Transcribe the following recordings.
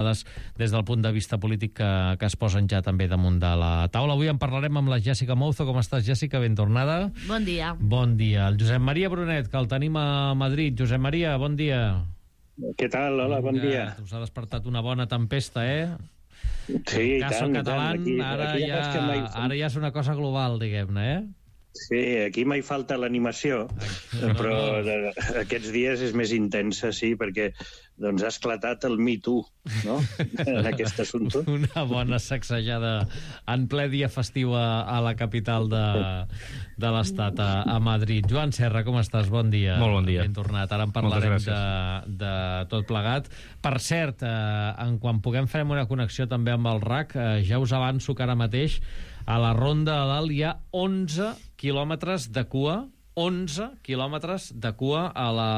des del punt de vista polític que es posen ja també damunt de la taula. Avui en parlarem amb la Jèssica Mouzo. Com estàs, Jèssica? Ben tornada. Bon dia. Bon dia. El Josep Maria Brunet, que el tenim a Madrid. Josep Maria, bon dia. Què tal? Hola, bon dia. Us ha despertat una bona tempesta, Sí, i tant, català, ara ja és una cosa global, diguem-ne, Sí, aquí mai falta l'animació, però aquests dies és més intensa, sí, perquè doncs, ha esclatat el Me Too, no?, en aquest assumpte. Una bona sacsejada en ple dia festiu a la capital de l'Estat, a Madrid. Joan Serra, com estàs? Bon dia. Molt bon dia. Ben tornat. Ara en parlarem de tot plegat. Per cert, quan puguem farem una connexió també amb el RAC. Ja us avanço que ara mateix a la Ronda de Dalt hi ha 11 quilòmetres de cua, 11 quilòmetres de cua a la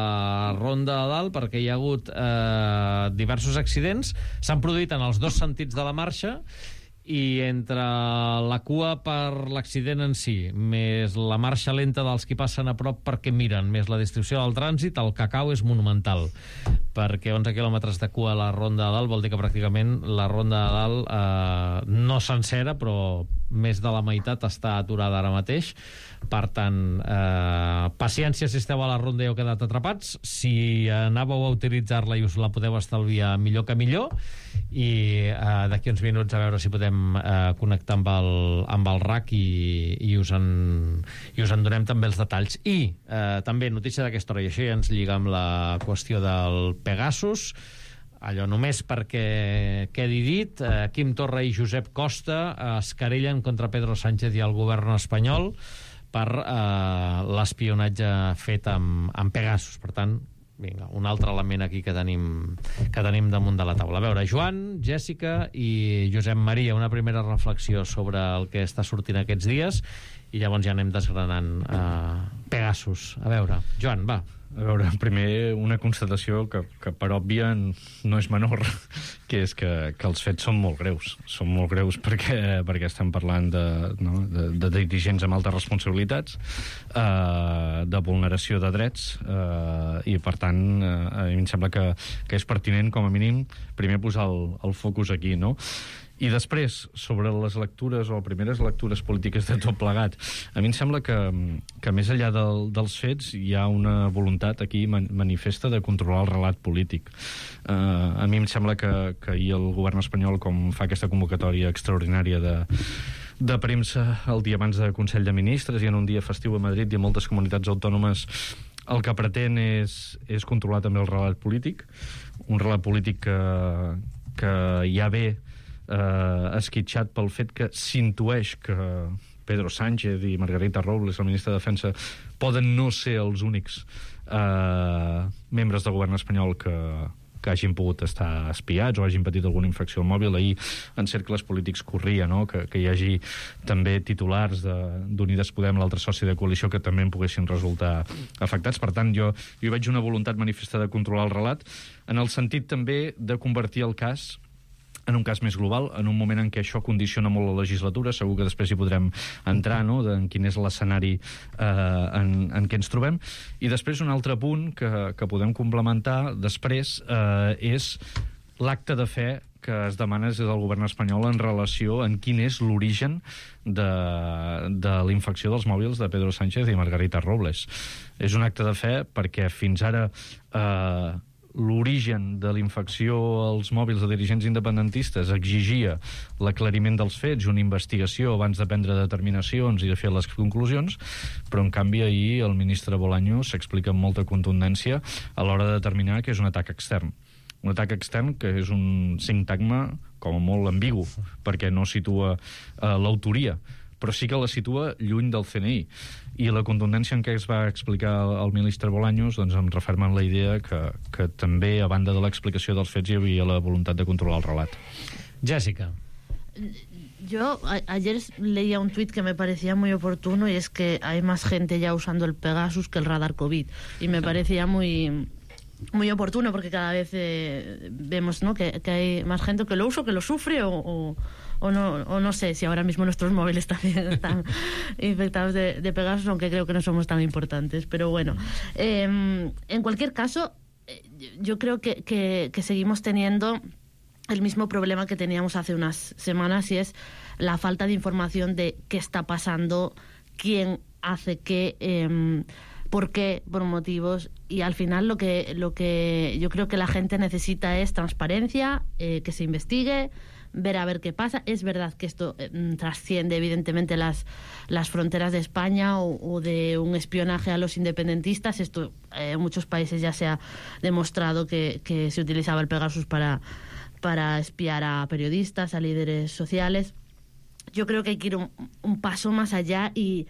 Ronda de Dalt, perquè hi ha hagut diversos accidents. S'han produït en els dos sentits de la marxa, i entre la cua per l'accident en si, més la marxa lenta dels qui passen a prop perquè miren, més la distribució del trànsit, el cacau és monumental, perquè 11 quilòmetres de cua a la Ronda de Dalt vol dir que pràcticament la Ronda de Dalt no sencera, però més de la meitat està aturada ara mateix. Per tant, paciència si esteu a la Ronda i heu quedat atrapats. Si anàveu a utilitzar-la i us la podeu estalviar, millor que millor. I d'aquí uns minuts a veure si podem connectar amb el RAC i us en donem també els detalls. I també notícia d'aquesta hora, i això ja ens lliga amb la qüestió del Pegasus, allò només perquè quedi dit, Quim Torra i Josep Costa es querellen contra Pedro Sánchez i el govern espanyol per l'espionatge fet amb Pegasus. Per tant, vinga, un altre element aquí que tenim damunt de la taula. A veure, Joan, Jèssica i Josep Maria, una primera reflexió sobre el que està sortint aquests dies i llavors ja anem desgranant Pegasus. A veure, Joan, va. A veure, primer una constatació que per òbvia no és menor, que és que els fets són molt greus. Són molt greus perquè estem parlant de dirigents amb altes responsabilitats, de vulneració de drets, i per tant a mi em sembla que és pertinent com a mínim primer posar el focus aquí, no? I després, sobre les lectures o primeres lectures polítiques de tot plegat, a mi em sembla que més enllà dels fets hi ha una voluntat aquí manifesta de controlar el relat polític. A mi em sembla que ahir el govern espanyol, com fa aquesta convocatòria extraordinària de premsa el dia abans de Consell de Ministres i en un dia festiu a Madrid i a moltes comunitats autònomes, el que pretén és controlar també el relat polític, un relat polític que ja ve esquitxat pel fet que s'intueix que Pedro Sánchez i Margarita Robles, el ministre de Defensa, poden no ser els únics membres del govern espanyol que hagin pogut estar espiats o hagin patit alguna infracció al mòbil. Ahir en cercles polítics corria, no?, que hi hagi també titulars d'Unides Podem, l'altre soci de coalició, que també en poguessin resultar afectats. Per tant, jo hi veig una voluntat manifesta de controlar el relat, en el sentit també de convertir el cas en un cas més global, en un moment en què això condiciona molt la legislatura. Segur que després hi podrem entrar, no?, en quin és l'escenari en què ens trobem. I després un altre punt que podem complementar després és l'acte de fe que es demana des del govern espanyol en relació en quin és l'origen de la infecció dels mòbils de Pedro Sánchez i Margarita Robles. És un acte de fe perquè fins ara l'origen de la infecció als mòbils de dirigents independentistes exigia l'aclariment dels fets, una investigació abans de prendre determinacions i de fer les conclusions, però en canvi ahir el ministre Bolaños s'explica amb molta contundència a l'hora de determinar que és un atac extern. Un atac extern que és un sintagma com a molt ambigu, perquè no situa l'autoria, però sí que la situa lluny del CNI. I la contundència en què es va explicar el ministre Bolaños doncs em referma en la idea que també, a banda de l'explicació dels fets, hi havia la voluntat de controlar el relat. Jèssica. Yo ayer leía un tuit que me parecía muy oportuno, y es que hay más gente ya usando el Pegasus que el radar COVID. Y me parecía muy oportuno, porque cada vez vemos, ¿no?, que hay más gente que lo usa, que lo sufre o no sé si ahora mismo nuestros móviles también están infectados de Pegasus, aunque creo que no somos tan importantes, pero bueno, en cualquier caso yo creo que seguimos teniendo el mismo problema que teníamos hace unas semanas, y es la falta de información de qué está pasando, quién hace qué, por qué, por motivos. Y al final lo que yo creo que la gente necesita es transparencia, que se investigue, ver a ver qué pasa. Es verdad que esto trasciende evidentemente las fronteras de España o de un espionaje a los independentistas. Esto en muchos países ya se ha demostrado que se utilizaba el Pegasus para espiar a periodistas, a líderes sociales. Yo creo que hay que ir un paso más allá y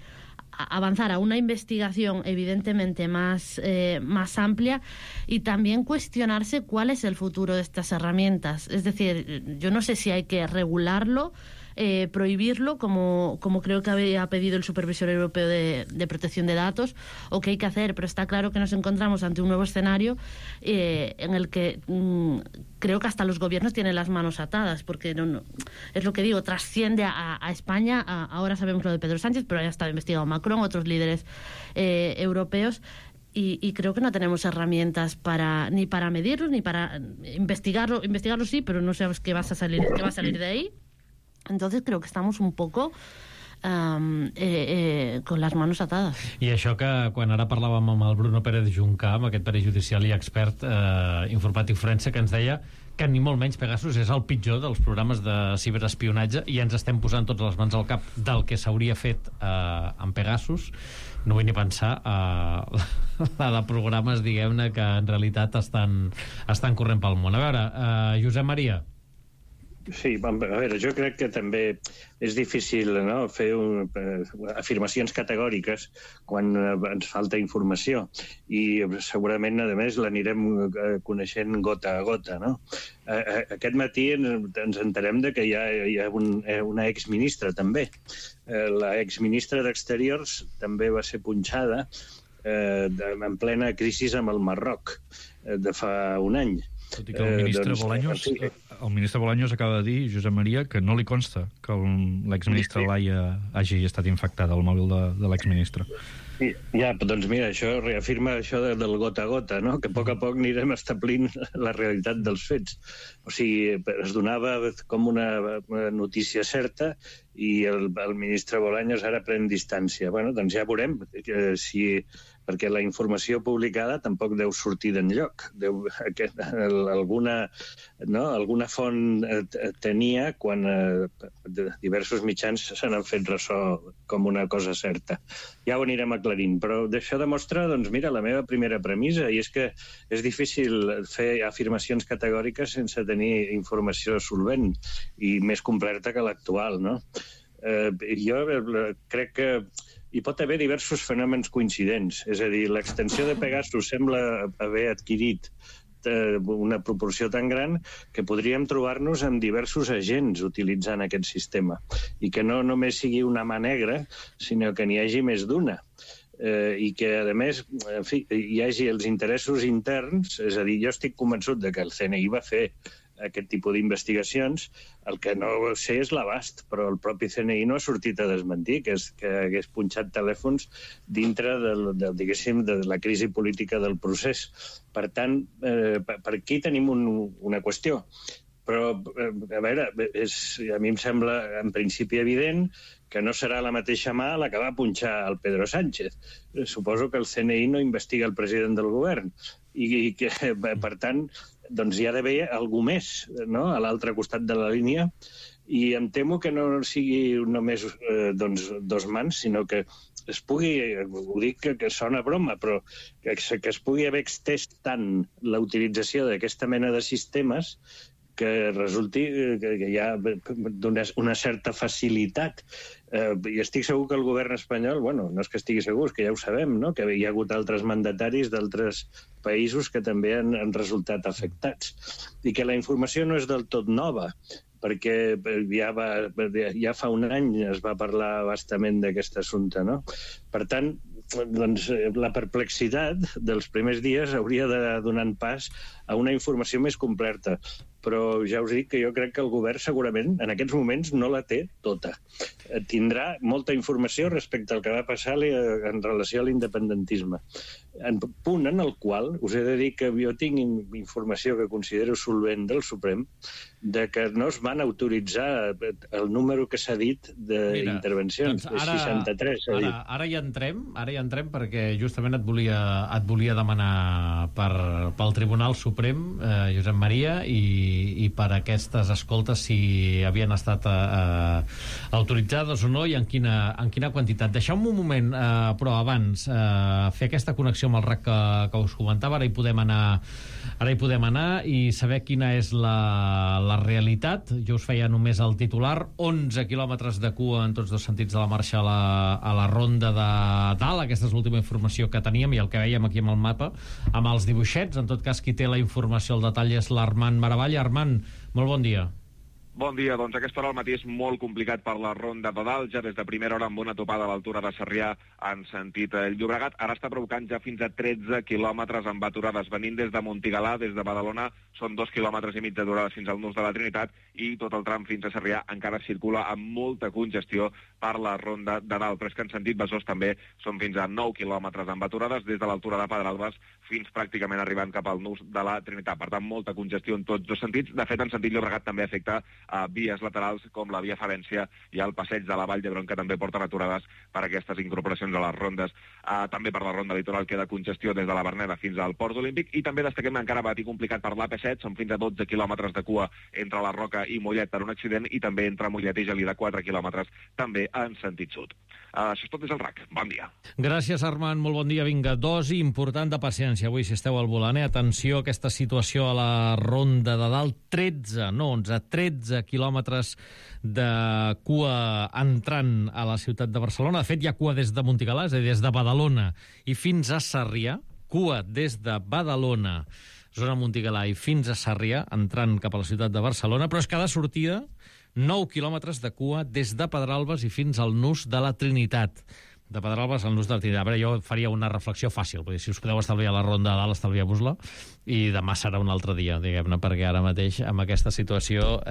avanzar a una investigación evidentemente más amplia, y también cuestionarse cuál es el futuro de estas herramientas. Es decir, yo no sé si hay que regularlo, prohibirlo, como creo que había pedido el Supervisor Europeo de Protección de Datos, o qué hay que hacer, pero está claro que nos encontramos ante un nuevo escenario en el que creo que hasta los gobiernos tienen las manos atadas, porque no, es lo que digo, trasciende a España. Ahora sabemos lo de Pedro Sánchez, pero ya está investigado Macron, otros líderes europeos. Y creo que no tenemos herramientas ni para medirlo, ni para investigarlo. Investigarlo sí, pero no sabemos qué va a salir de ahí. Entonces creo que estamos un poco con les manos atades. I això que quan ara parlàvem amb el Bruno Pérez Juncà, amb aquest perill judicial i expert informàtic forense, que ens deia que ni molt menys Pegasus és el pitjor dels programes de ciberespionatge, i ens estem posant tots les mans al cap del que s'hauria fet amb Pegasus. No vull ni pensar la de programes, diguem-ne, que en realitat estan corrent pel món. A veure, Josep Maria. Sí, a veure, jo crec que també és difícil, no?, fer afirmacions categòriques quan ens falta informació, i segurament, a més, l'anirem coneixent gota a gota, no? Aquest matí ens enterem de que hi ha una exministra, també. La exministra d'Exteriors també va ser punxada en plena crisi amb el Marroc de fa un any. Tot i que el ministre Bolaños acaba de dir, Josep Maria, que no li consta que l'exministre Laia hagi estat infectada al mòbil de l'exministre. Ja, doncs mira, això reafirma això del gota a gota, no? Que a poc anirem establint la realitat dels fets. O sigui, es donava com una notícia certa i el ministre Bolaños ara pren distància. Bueno, doncs ja veurem si... perquè la informació publicada tampoc deu sortir d'enlloc. Alguna font tenia quan diversos mitjans se n'han fet ressò com una cosa certa. Ja ho anirem aclarint, però això demostra, doncs mira, la meva primera premissa, i és que és difícil fer afirmacions categòriques sense tenir informació solvent i més completa que l'actual, no? Jo crec que hi pot haver diversos fenòmens coincidents. És a dir, l'extensió de Pegasus sembla haver adquirit una proporció tan gran que podríem trobar-nos amb diversos agents utilitzant aquest sistema, i que no només sigui una mà negra, sinó que n'hi hagi més d'una. I que, a més, en fi, hi hagi els interessos interns. És a dir, jo estic convençut de que el CNI va fer aquest tipus d'investigacions. El que no sé és l'abast, però el propi CNI no ha sortit a desmentir que hagués punxat telèfons dintre de la crisi política del procés. Per tant, per aquí tenim una qüestió. Però, a veure, a mi em sembla en principi evident que no serà la mateixa mà la que va punxar el Pedro Sánchez. Suposo que el CNI no investiga el president del govern i que, per tant, doncs hi ha d'haver algú més, no?, a l'altre costat de la línia, i em temo que no sigui només dos mans, sinó que es pugui, ho dic que sona broma, però que es pugui haver extès tant la utilització d'aquesta mena de sistemes que resulti que hi ha una certa facilitat. I estic segur que el govern espanyol, bueno, no és que estigui segur, és que ja ho sabem, no?, que hi ha hagut altres mandataris d'altres països que també han resultat afectats. I que la informació no és del tot nova, perquè ja fa un any es va parlar bastament d'aquest assumpte, no? Per tant, doncs, la perplexitat dels primers dies hauria de donar pas a una informació més completa. Però ja us dic que jo crec que el govern segurament en aquests moments no la té tota. Tindrà molta informació respecte al que va passar en relació a l'independentisme. En punt en el qual us he de dir que jo tinc informació que considero solvent del Suprem de que no es van autoritzar el número que s'ha dit d'intervencions, doncs 63. Ara hi entrem perquè justament et volia demanar pel Tribunal Suprem, Josep Maria, i per aquestes escoltes si havien estat autoritzades o no i en quina quantitat. Deixeu-me un moment, però abans, fer aquesta connexió amb el RAC que us comentava. Ara hi podem anar i saber quina és la realitat. Jo us feia només el titular: 11 quilòmetres de cua en tots dos sentits de la marxa a la ronda de dalt. Aquesta és l'última informació que teníem i el que veiem aquí amb el mapa, amb els dibuixets. En tot cas, qui té la informació al detall és l'Armand Maravalla. Armand, molt bon dia. Bon dia. Doncs aquesta hora al matí és molt complicat per la ronda de dalt, ja des de primera hora amb una topada a l'altura de Sarrià en sentit Llobregat. Ara està provocant ja fins a 13 quilòmetres amb aturades. Venint des de Montigalà, des de Badalona, són 2 quilòmetres i mig d'aturades fins al nus de la Trinitat, i tot el tram fins a Sarrià encara circula amb molta congestió per la ronda de dalt. Però és que en sentit Besòs també són fins a 9 quilòmetres amb aturades des de l'altura de Pedralbes fins pràcticament arribant cap al nus de la Trinitat. Per tant, molta congestió en tots dos sentits. De fet, en sentit Llobregat també afecta a vies laterals com la via Favència i el passeig de la Vall d'Hebron, que també porten aturades per aquestes incorporacions a les rondes. També per la ronda litoral queda congestió des de la Verneda fins al Port Olímpic, i també destaquem encara matí complicat per l'AP7, són fins a 12 quilòmetres de cua entre la Roca i Mollet per un accident, i també entre Mollet i Gelida 4 quilòmetres també en sentit sud. Això és tot des del RAC. Bon dia. Gràcies, Armand. Molt bon dia. Vinga, dosi important de paciència avui, si esteu al volant. Atenció a aquesta situació a la ronda de dalt. 13 quilòmetres de cua entrant a la ciutat de Barcelona. De fet, hi ha cua des de Montigalà, és a dir, des de Badalona i fins a Sarrià. Cua des de Badalona, zona Montigalà, i fins a Sarrià, entrant cap a la ciutat de Barcelona. Però és cada sortida 9 quilòmetres de cua des de Pedralbes i fins al nus de la Trinitat. De Pedralbes al nus de la Trinitat. A veure, jo faria una reflexió fàcil, perquè si us podeu estalviar la ronda de dalt, estalvieu-vos-la, i demà serà un altre dia, diguem-ne, perquè ara mateix, amb aquesta situació,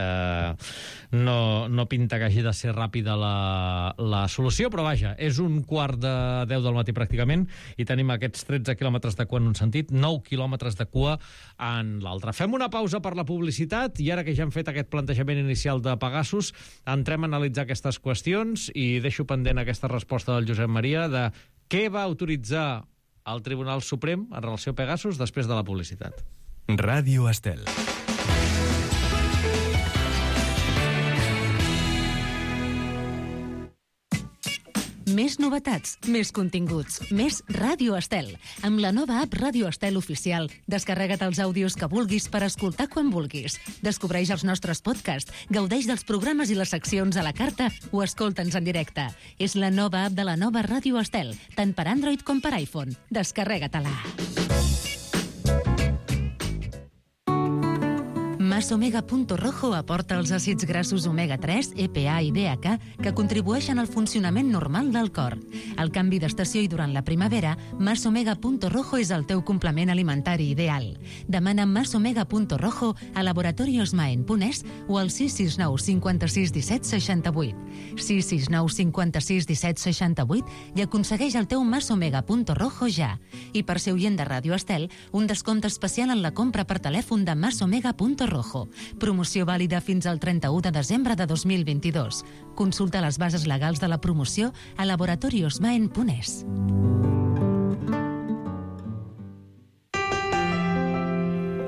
no pinta que hagi de ser ràpida la solució, però vaja, és 9:15 del matí pràcticament, i tenim aquests 13 quilòmetres de cua en un sentit, 9 quilòmetres de cua en l'altre. Fem una pausa per la publicitat, i ara que ja hem fet aquest plantejament inicial de Pegasus, entrem a analitzar aquestes qüestions, i deixo pendent aquesta resposta del Josep Maria de què va autoritzar el Tribunal Suprem en relació a Pegasus després de la publicitat. Ràdio Estel. Més novetats, més continguts, més Ràdio Estel. Amb la nova app Ràdio Estel Oficial, descarrega't els àudios que vulguis per escoltar quan vulguis. Descobreix els nostres podcasts, gaudeix dels programes i les seccions a la carta o escolta'ns en directe. És la nova app de la nova Ràdio Estel, tant per Android com per iPhone. Descarrega-te-la. Mas-Omega.Rojo aporta els àcids grassos omega-3, EPA i DHA que contribueixen al funcionament normal del cor. Al canvi d'estació i durant la primavera, Mas-Omega.Rojo és el teu complement alimentari ideal. Demana Mas-Omega.Rojo a laboratoriosmaen.es o al 669 56 17 68. 669 56 17 68 i aconsegueix el teu Mas-Omega.Rojo ja. I per ser oient de Ràdio Estel, un descompte especial en la compra per telèfon de Mas-Omega.Rojo. Promoció vàlida fins al 31 de desembre de 2022. Consulta les bases legals de la promoció a laboratoriosmaen.es.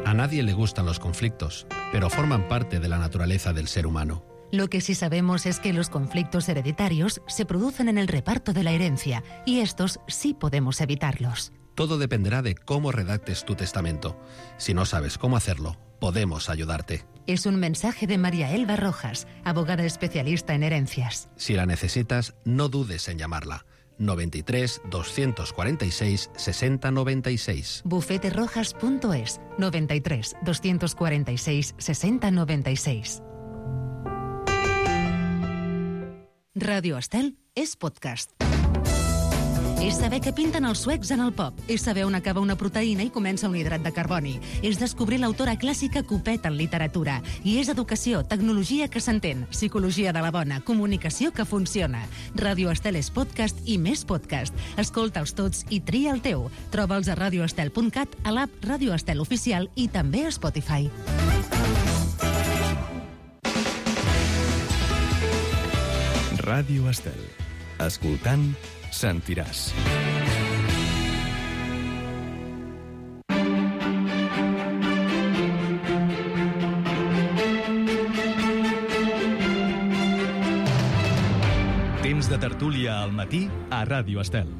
A nadie le gustan los conflictos, pero forman parte de la naturaleza del ser humano. Lo que sí sabemos es que los conflictos hereditarios se producen en el reparto de la herencia y estos sí podemos evitarlos. Todo dependerá de cómo redactes tu testamento. Si no sabes cómo hacerlo, podemos ayudarte. Es un mensaje de María Elba Rojas, abogada especialista en herencias. Si la necesitas, no dudes en llamarla. 93 246 60 96. Bufeterojas.es 93 246 60 96. Radio Estel es podcast. És saber què pinten els suecs en el pop. És saber on acaba una proteïna i comença un hidrat de carboni. És descobrir l'autora clàssica Copet en literatura. I és educació, tecnologia que s'entén, psicologia de la bona, comunicació que funciona. Ràdio Estel és podcast i més podcast. Escolta'ls tots i tria el teu. Troba'ls a radioestel.cat, a l'app Ràdio Estel Oficial i també a Spotify. Ràdio Estel. Escoltant, sentiràs. Temps de tertúlia al matí a Ràdio Estel.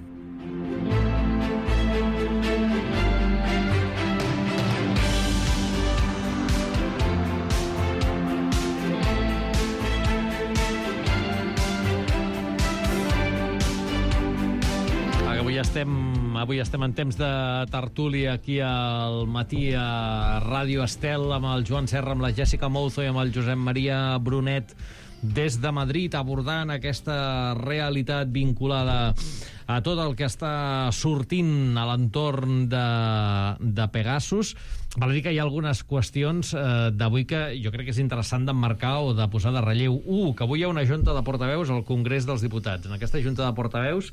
Avui estem en temps de tertúlia aquí al matí a Ràdio Estel amb el Joan Serra, amb la Jessica Mouzo i amb el Josep Maria Brunet des de Madrid, abordant aquesta realitat vinculada a tot el que està sortint a l'entorn de Pegasus. Val a dir que hi ha algunes qüestions d'avui que jo crec que és interessant d'emmarcar o de posar de relleu. Que avui hi ha una junta de portaveus al Congrés dels Diputats. En aquesta junta de portaveus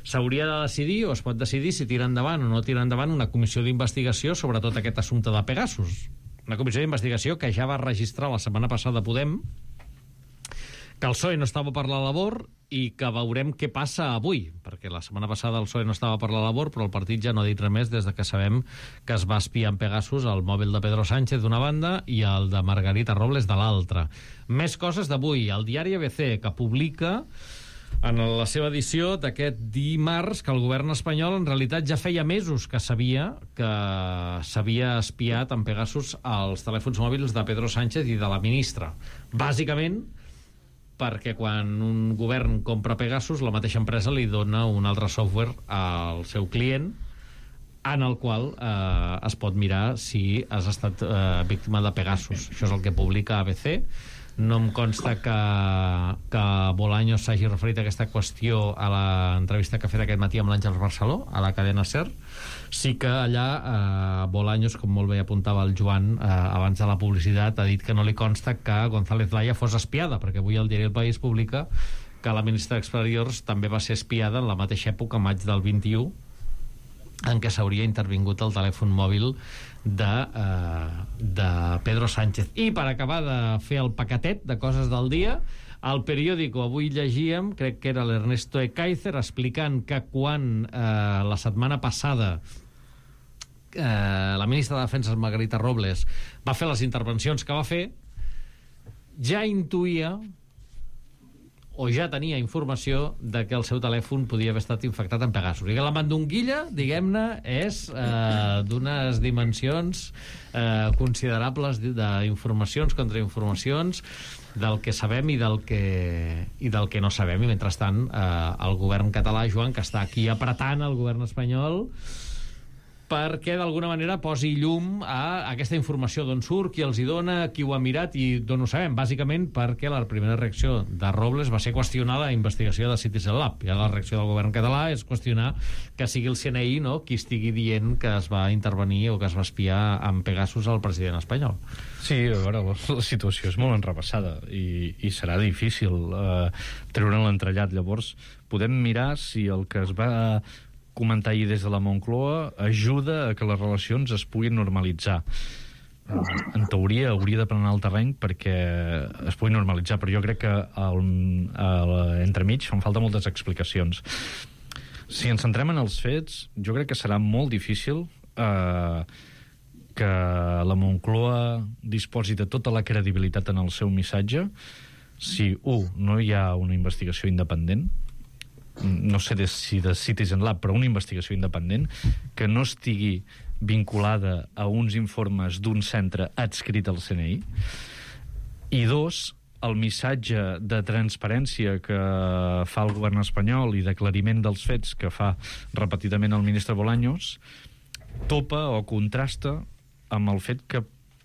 s'hauria de decidir, o es pot decidir, si tira endavant o no tira endavant una comissió d'investigació sobre tot aquest assumpte de Pegasus. Una comissió d'investigació que ja va registrar la setmana passada Podem, que el PSOE no estava per la labor i que veurem què passa avui, perquè la setmana passada el PSOE no estava per la labor, però el partit ja no ha dit res més des de que sabem que es va espiar en Pegasus el mòbil de Pedro Sánchez d'una banda i el de Margarita Robles de l'altra. Més coses d'avui. El diari ABC, que publica en la seva edició d'aquest dimarts que el govern espanyol en realitat ja feia mesos que sabia que s'havia espiat en Pegasus els telèfons mòbils de Pedro Sánchez i de la ministra. Bàsicament perquè quan un govern compra Pegasus, la mateixa empresa li dona un altre software al seu client en el qual es pot mirar si has estat víctima de Pegasus. Això és el que publica ABC. No em consta que Bolaños s'hagi referit a aquesta qüestió a l'entrevista que ha fet aquest matí amb l'Àngels Barceló, a la cadena SER. Sí que allà Bolaños, com molt bé apuntava el Joan abans de la publicitat, ha dit que no li consta que González Laya fos espiada, perquè avui el diari El País publica que la ministra d'Exteriors també va ser espiada en la mateixa època, maig del 21, en què s'hauria intervingut el telèfon mòbil de Pedro Sánchez. I per acabar de fer el paquetet de coses del dia, al periòdico avui llegíem, crec que era l'Ernesto Ekaizer, explicant que quan la setmana passada la ministra de Defensa, Margarita Robles, va fer les intervencions que va fer, ja intuïa o ja tenia informació de que el seu telèfon podia haver estat infectat amb Pegasus. I que la mandonguilla, diguem-ne, és d'unes dimensions considerables d'informacions, contrainformacions, del que sabem i del que no sabem. I mentrestant, el govern català, Joan, que està aquí apretant el govern espanyol perquè d'alguna manera posi llum a aquesta informació, d'on surt, qui els hi dona, qui ho ha mirat i d'on ho sabem, bàsicament perquè la primera reacció de Robles va ser qüestionar la investigació de Citizen Lab. I la reacció del govern català és qüestionar que sigui el CNI, no?, qui estigui dient que es va intervenir o que es va espiar amb Pegasus al president espanyol. Sí, a veure, la situació és molt enrepassada i serà difícil treure l'entrellat. Llavors, podem mirar si el que es va comentar ahir des de la Moncloa ajuda a que les relacions es puguin normalitzar. En teoria hauria de planar el terreny perquè es pugui normalitzar, però jo crec que entremig fan falta moltes explicacions. Si ens centrem en els fets, jo crec que serà molt difícil que la Moncloa disposi de tota la credibilitat en el seu missatge si, no hi ha una investigació independent, no sé si de Citizen Lab, però una investigació independent que no estigui vinculada a uns informes d'un centre adscrit al CNI, i dos, el missatge de transparència que fa el govern espanyol i d'aclariment dels fets que fa repetidament el ministre Bolaños topa o contrasta amb el fet que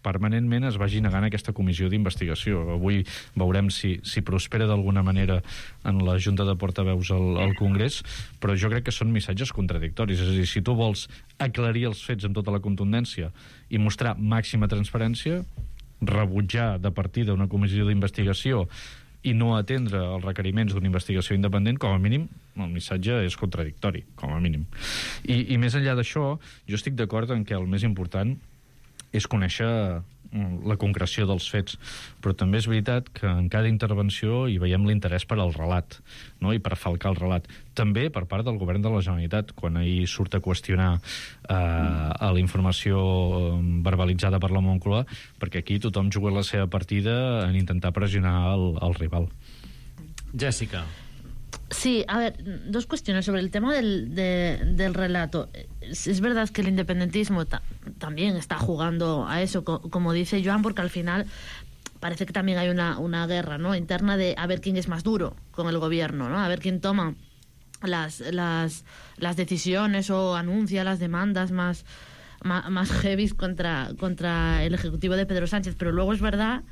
permanentment es vagi negant aquesta comissió d'investigació. Avui veurem si prospera d'alguna manera en la Junta de Portaveus al Congrés, però jo crec que són missatges contradictoris. És a dir, si tu vols aclarir els fets amb tota la contundència i mostrar màxima transparència, rebutjar de partida una comissió d'investigació i no atendre els requeriments d'una investigació independent, com a mínim, el missatge és contradictori, com a mínim. I més enllà d'això, jo estic d'acord en que el més important és conèixer la concreció dels fets, però també és veritat que en cada intervenció hi veiem l'interès per al relat, no? I per falcar el relat. També per part del govern de la Generalitat, quan ahir surt a qüestionar a la informació verbalitzada per la Moncloa, perquè aquí tothom juga la seva partida en intentar pressionar el rival. Jessica. Sí, a ver, dos cuestiones sobre el tema del relato. Es verdad que el independentismo también está jugando a eso, como dice Joan, porque al final parece que también hay una guerra, ¿no?, interna de a ver quién es más duro con el gobierno, ¿no?, a ver quién toma las decisiones o anuncia las demandas más heavy contra el ejecutivo de Pedro Sánchez. Pero luego es verdad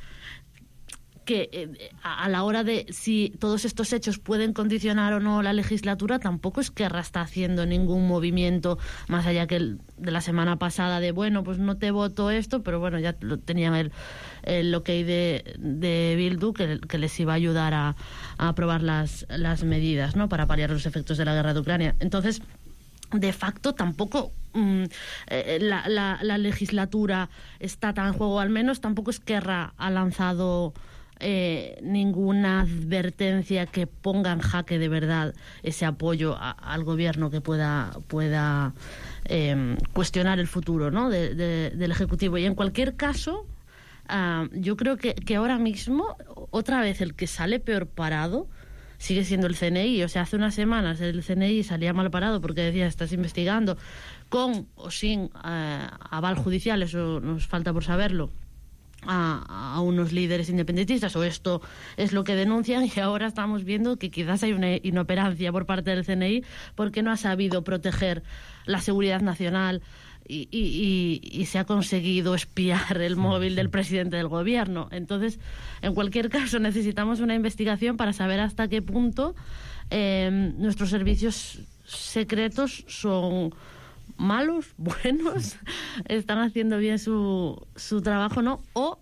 que a la hora de si todos estos hechos pueden condicionar o no la legislatura, tampoco Esquerra está haciendo ningún movimiento más allá que el de la semana pasada de, bueno, pues no te voto esto, pero bueno, ya tenían el ok de Bildu que les iba a ayudar a aprobar las medidas, ¿no?, para paliar los efectos de la guerra de Ucrania. Entonces, de facto tampoco la legislatura está tan en juego, al menos tampoco Esquerra ha lanzado ninguna advertencia que ponga en jaque de verdad ese apoyo al gobierno que pueda cuestionar el futuro, ¿no?, del Ejecutivo. Y en cualquier caso, yo creo que ahora mismo, otra vez, el que sale peor parado sigue siendo el CNI. O sea, hace unas semanas el CNI salía mal parado porque decía, estás investigando con o sin aval judicial, eso nos falta por saberlo, a unos líderes independentistas, o esto es lo que denuncian, y ahora estamos viendo que quizás hay una inoperancia por parte del CNI porque no ha sabido proteger la seguridad nacional y se ha conseguido espiar el móvil del presidente del gobierno. Entonces, en cualquier caso, necesitamos una investigación para saber hasta qué punto nuestros servicios secretos son malos, buenos, están haciendo bien su trabajo, ¿no? O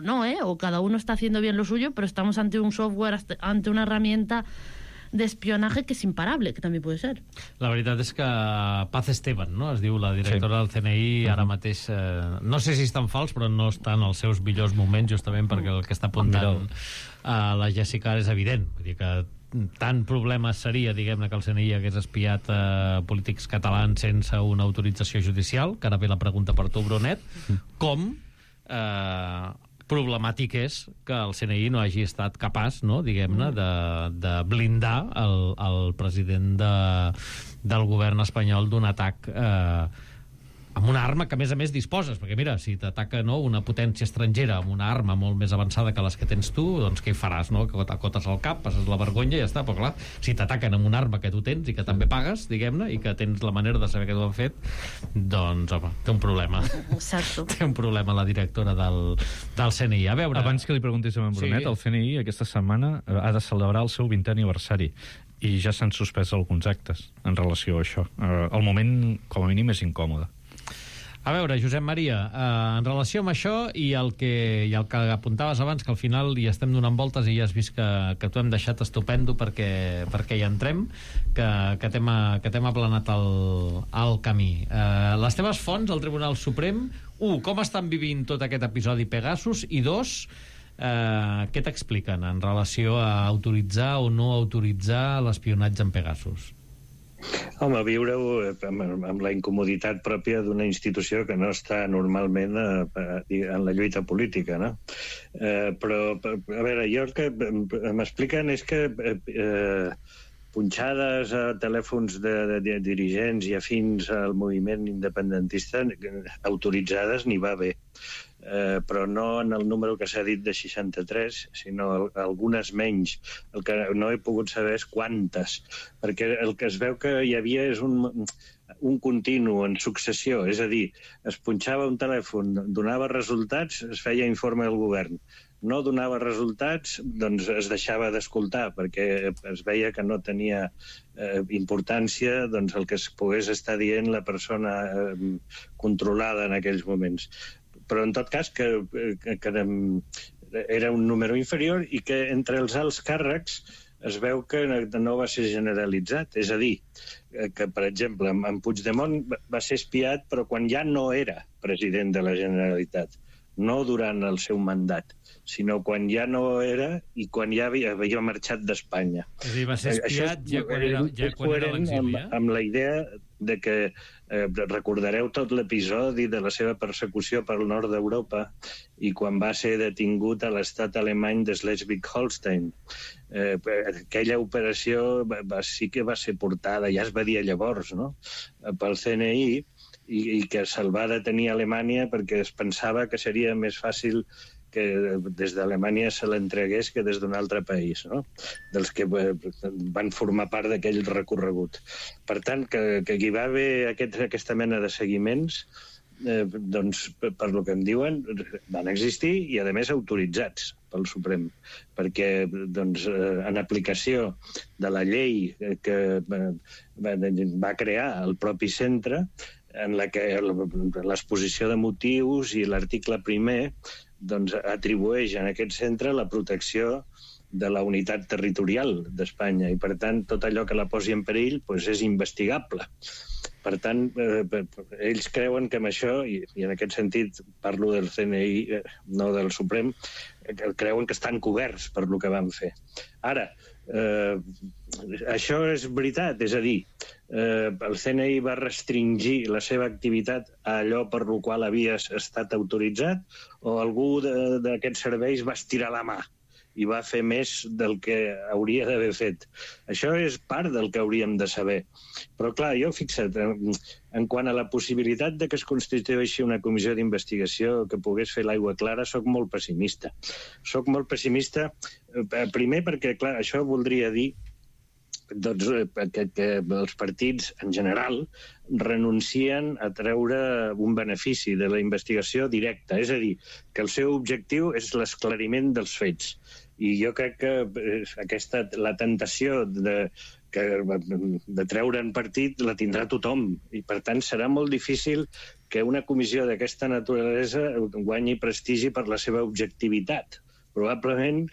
no, o cada uno está haciendo bien lo suyo, pero estamos ante un software, ante una herramienta de espionaje que és imparable, que també pot ser. La veritat és que Paz Esteban, no?, es diu la directora del CNI, ara mateix, no sé si és tan fals, però no està en els seus millors moments, justament perquè el que està apuntant a la Jessica és evident. Vull dir que tant problema seria, diguem-ne, que el CNI hagués espiat polítics catalans sense una autorització judicial, que ara ve la pregunta per tu, Brunet, com problemàtic és que el CNI no hagi estat capaç, no, diguem-ne, de blindar el president del govern espanyol d'un atac amb una arma que, a més disposes, perquè mira, si t'ataca, no, una potència estrangera amb una arma molt més avançada que les que tens tu, doncs què hi faràs, no? Que t'acotes al cap, passes la vergonya i ja està. Però clar, si t'ataquen amb una arma que tu tens i que també pagues, diguem-ne, i que tens la manera de saber que t'ho han fet, doncs, home, té un problema. Exacto. Té un problema la directora del CNI. A veure... Abans que li preguntis a en Brunet, el CNI aquesta setmana ha de celebrar el seu 20è aniversari i ja s'han suspès alguns actes en relació a això. El moment, com a mínim, és incòmode. A veure, Josep Maria, en relació amb això i el que apuntaves abans, que al final hi estem donant voltes i ja has vist que t'ho hem deixat estupendo perquè hi entrem, que t'hem aplanat el camí. Les teves fonts al Tribunal Suprem, com estan vivint tot aquest episodi Pegasus, i què t'expliquen en relació a autoritzar o no autoritzar l'espionatge en Pegasus? Home, viure-ho amb la incomoditat pròpia d'una institució que no està normalment en la lluita política, no? Però, a veure, jo el que m'expliquen és que punxades a telèfons de dirigents i afins al moviment independentista autoritzades n'hi va haver. Però no en el número que s'ha dit de 63, sinó algunes menys. El que no he pogut saber és quantes, perquè el que es veu que hi havia és un continu en successió, és a dir, es punxava un telèfon, donava resultats, es feia informe al govern. No donava resultats, doncs es deixava d'escoltar, perquè es veia que no tenia importància doncs, el que es pogués estar dient la persona controlada en aquells moments. Però, en tot cas, que era un número inferior i que entre els alts càrrecs es veu que no va ser generalitzat. És a dir, que, per exemple, en Puigdemont va ser espiat, però quan ja no era president de la Generalitat, no durant el seu mandat, sinó quan ja no era i quan ja havia marxat d'Espanya. És a dir, va ser espiat ja quan era a l'exili, amb la idea de que recordareu tot l'episodi de la seva persecució pel nord d'Europa i quan va ser detingut a l'estat alemany de Schleswig-Holstein. Aquella operació sí que va ser portada, ja es va dir llavors, no?, pel CNI, i que se'l va detenir a Alemanya perquè es pensava que seria més fàcil que des d'Alemanya se l'entregués que des d'un altre país, no?, dels que van formar part d'aquell recorregut. Per tant, que hi va haver aquesta mena de seguiments, doncs, per lo que em diuen, van existir i, a més, autoritzats pel Suprem, perquè doncs, en aplicació de la llei que va crear el propi centre, en la que l'exposició de motius i l'article primer doncs, atribueix a aquest centre la protecció de la unitat territorial d'Espanya i, per tant, tot allò que la posi en perill doncs, és investigable. Per tant, ells creuen que amb això, i en aquest sentit parlo del CNI, no del Suprem, creuen que estan coberts per lo que van fer. Ara, això és veritat, és a dir, el CNI va restringir la seva activitat a allò per lo qual havia estat autoritzat o algú d'aquests serveis va estirar la mà i va fer més del que hauria d'haver fet. Això és part del que hauríem de saber. Però, clar, jo, fixa't, en quant a la possibilitat de que es constitueixi una comissió d'investigació que pogués fer l'aigua clara, soc molt pessimista. Soc molt pessimista, primer perquè, clar, això voldria dir doncs, que els partits, en general, renuncien a treure un benefici de la investigació directa. És a dir, que el seu objectiu és l'esclariment dels fets. I jo crec que la tentació de treure en partit la tindrà tothom. I, per tant, serà molt difícil que una comissió d'aquesta naturalesa guanyi prestigi per la seva objectivitat. Probablement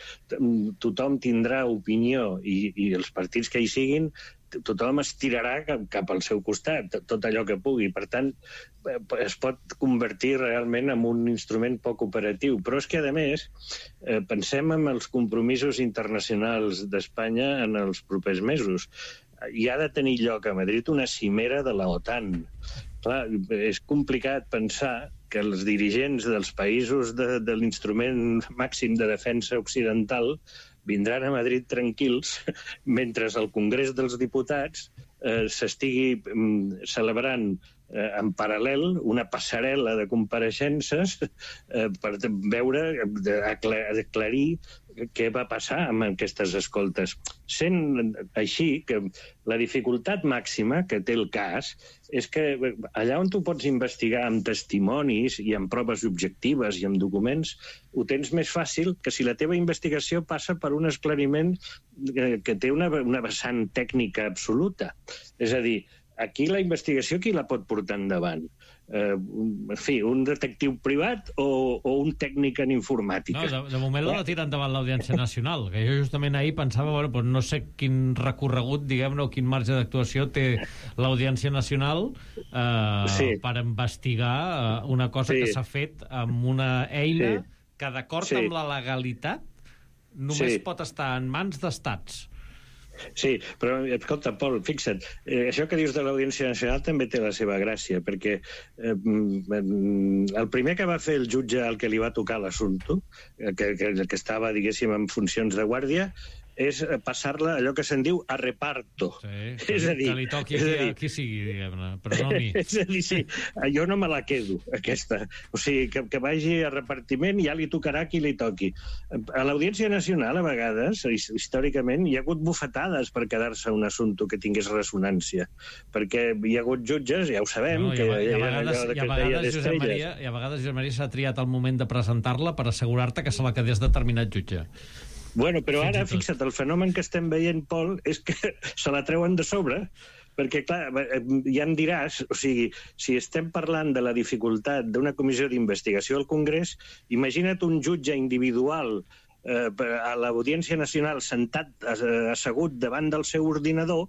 tothom tindrà opinió i els partits que hi siguin, tothom es tirarà cap al seu costat, tot allò que pugui. Per tant, es pot convertir realment en un instrument poc operatiu. Però és que, a més, pensem en els compromisos internacionals d'Espanya en els propers mesos. Hi ha de tenir lloc a Madrid una cimera de la OTAN. Clar, és complicat pensar que els dirigents dels països de l'instrument màxim de defensa occidental vindran a Madrid tranquils mentre el Congrés dels Diputats s'estigui celebrant en paral·lel una passarel·la de compareixences per veure, aclarir què va passar amb aquestes escoltes. Sent així que la dificultat màxima que té el cas és que allà on tu pots investigar amb testimonis i amb proves objectives i amb documents, ho tens més fàcil que si la teva investigació passa per un esclariment que té una vessant tècnica absoluta. És a dir, aquí la investigació qui la pot portar endavant? En fi, un detectiu privat o un tècnic en informàtica? No, de moment la tira endavant l'Audiència Nacional, que jo justament ahir pensava, bueno, doncs no sé quin recorregut, diguem-ne, o quin marge d'actuació té l'Audiència Nacional per investigar una cosa que s'ha fet amb una eina que, d'acord amb la legalitat, només pot estar en mans d'estats. Sí, però, escolta, Pol, fixa't, això que dius de l'Audiència Nacional també té la seva gràcia, perquè el primer que va fer el jutge al que li va tocar l'assumpte, que estava, diguéssim, en funcions de guàrdia, és passar-la allò que se'n diu a reparto. Sí, és a dir, que li toqui a qui sigui, diguem-ne, però no a mi. És a dir, sí, jo no me la quedo, aquesta. O sigui, que vagi a repartiment i ja li tocarà qui li toqui. A l'Audiència Nacional, a vegades, històricament, hi ha hagut bufetades per quedar-se un assumpte que tingués ressonància. Perquè hi ha hagut jutges, ja ho sabem, que hi ha allò que es deia d'estrelles. I a vegades, Josep Maria, s'ha triat el moment de presentar-la per assegurar-te que se la quedés determinat jutge. Bueno, però ara, fixa't, el fenomen que estem veient, Pol, és que se la treuen de sobre, perquè, clar, ja em diràs, o sigui, si estem parlant de la dificultat d'una comissió d'investigació al Congrés, imagina't un jutge individual a l'Audiència Nacional sentat, assegut davant del seu ordinador,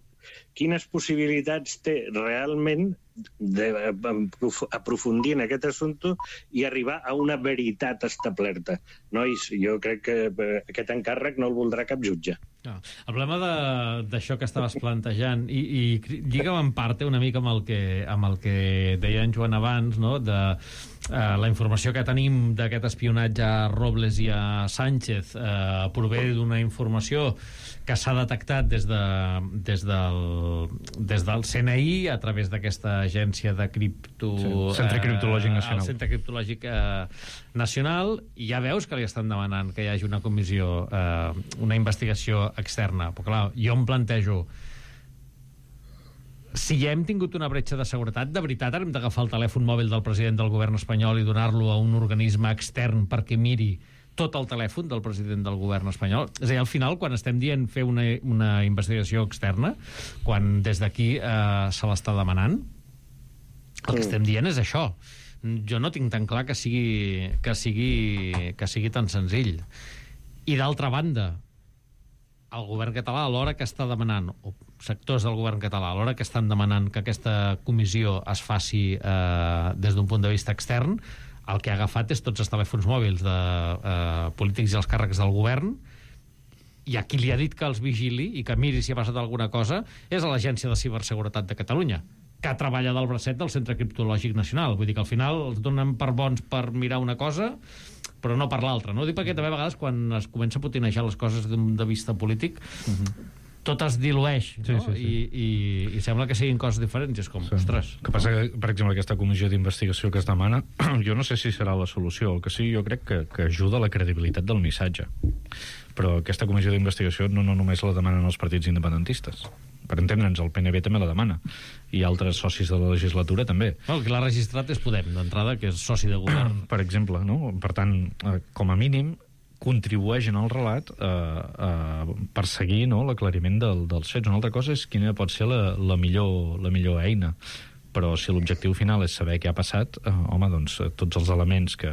quines possibilitats té realment d'aprofundir en aquest assumpte i arribar a una veritat establerta. Nois, jo crec que aquest encàrrec no el voldrà cap jutge. El problema d'això que estaves plantejant, i lliga en part una mica amb el que deia en Joan abans, no? De la informació que tenim d'aquest espionatge a Robles i a Sánchez prové d'una informació que s'ha detectat des del CNI a través d'aquesta agència de Centre Criptològic Nacional. El Centre Criptològic Nacional, i ja veus que li estan demanant que hi hagi una comissió, una investigació externa. Però clar, jo em plantejo, si ja hem tingut una bretxa de seguretat, de veritat hem d'agafar el telèfon mòbil del president del govern espanyol i donar-lo a un organisme extern perquè miri tot el telèfon del president del govern espanyol? És a dir, al final, quan estem dient fer una investigació externa, quan des d'aquí se l'està demanant, el que estem dient és això. Jo no tinc tan clar que sigui tan senzill. I d'altra banda, el govern català, a l'hora que està demanant, o sectors del govern català, a l'hora que estan demanant que aquesta comissió es faci des d'un punt de vista extern, el que ha agafat és tots els telèfons mòbils de polítics i els càrrecs del govern, i a qui li ha dit que els vigili i que miri si ha passat alguna cosa és a l'Agència de Ciberseguretat de Catalunya, que treballa del bracet del Centre Criptològic Nacional. Vull dir que al final els donen per bons per mirar una cosa, però no per l'altra, no? Dic perquè també a vegades quan es comença a potinejar les coses d'un punt de vista polític, tot es dilueix, no? I sembla que siguin coses diferents, és com, ostres. El que passa que, per exemple, aquesta comissió d'investigació que es demana, jo no sé si serà la solució, el que sí, jo crec que ajuda a la credibilitat del missatge. Però aquesta comissió d'investigació no només la demanen els partits independentistes. Per entendre'ns, el PNB també la demana, i altres socis de la legislatura també. El que l'ha registrat és Podem, d'entrada, que és soci de govern. Per exemple, no? Per tant, com a mínim, contribueix en el relat a perseguir, no, l'aclariment dels fets. Una altra cosa és quina pot ser la millor eina. Però si l'objectiu final és saber què ha passat, home, doncs tots els elements que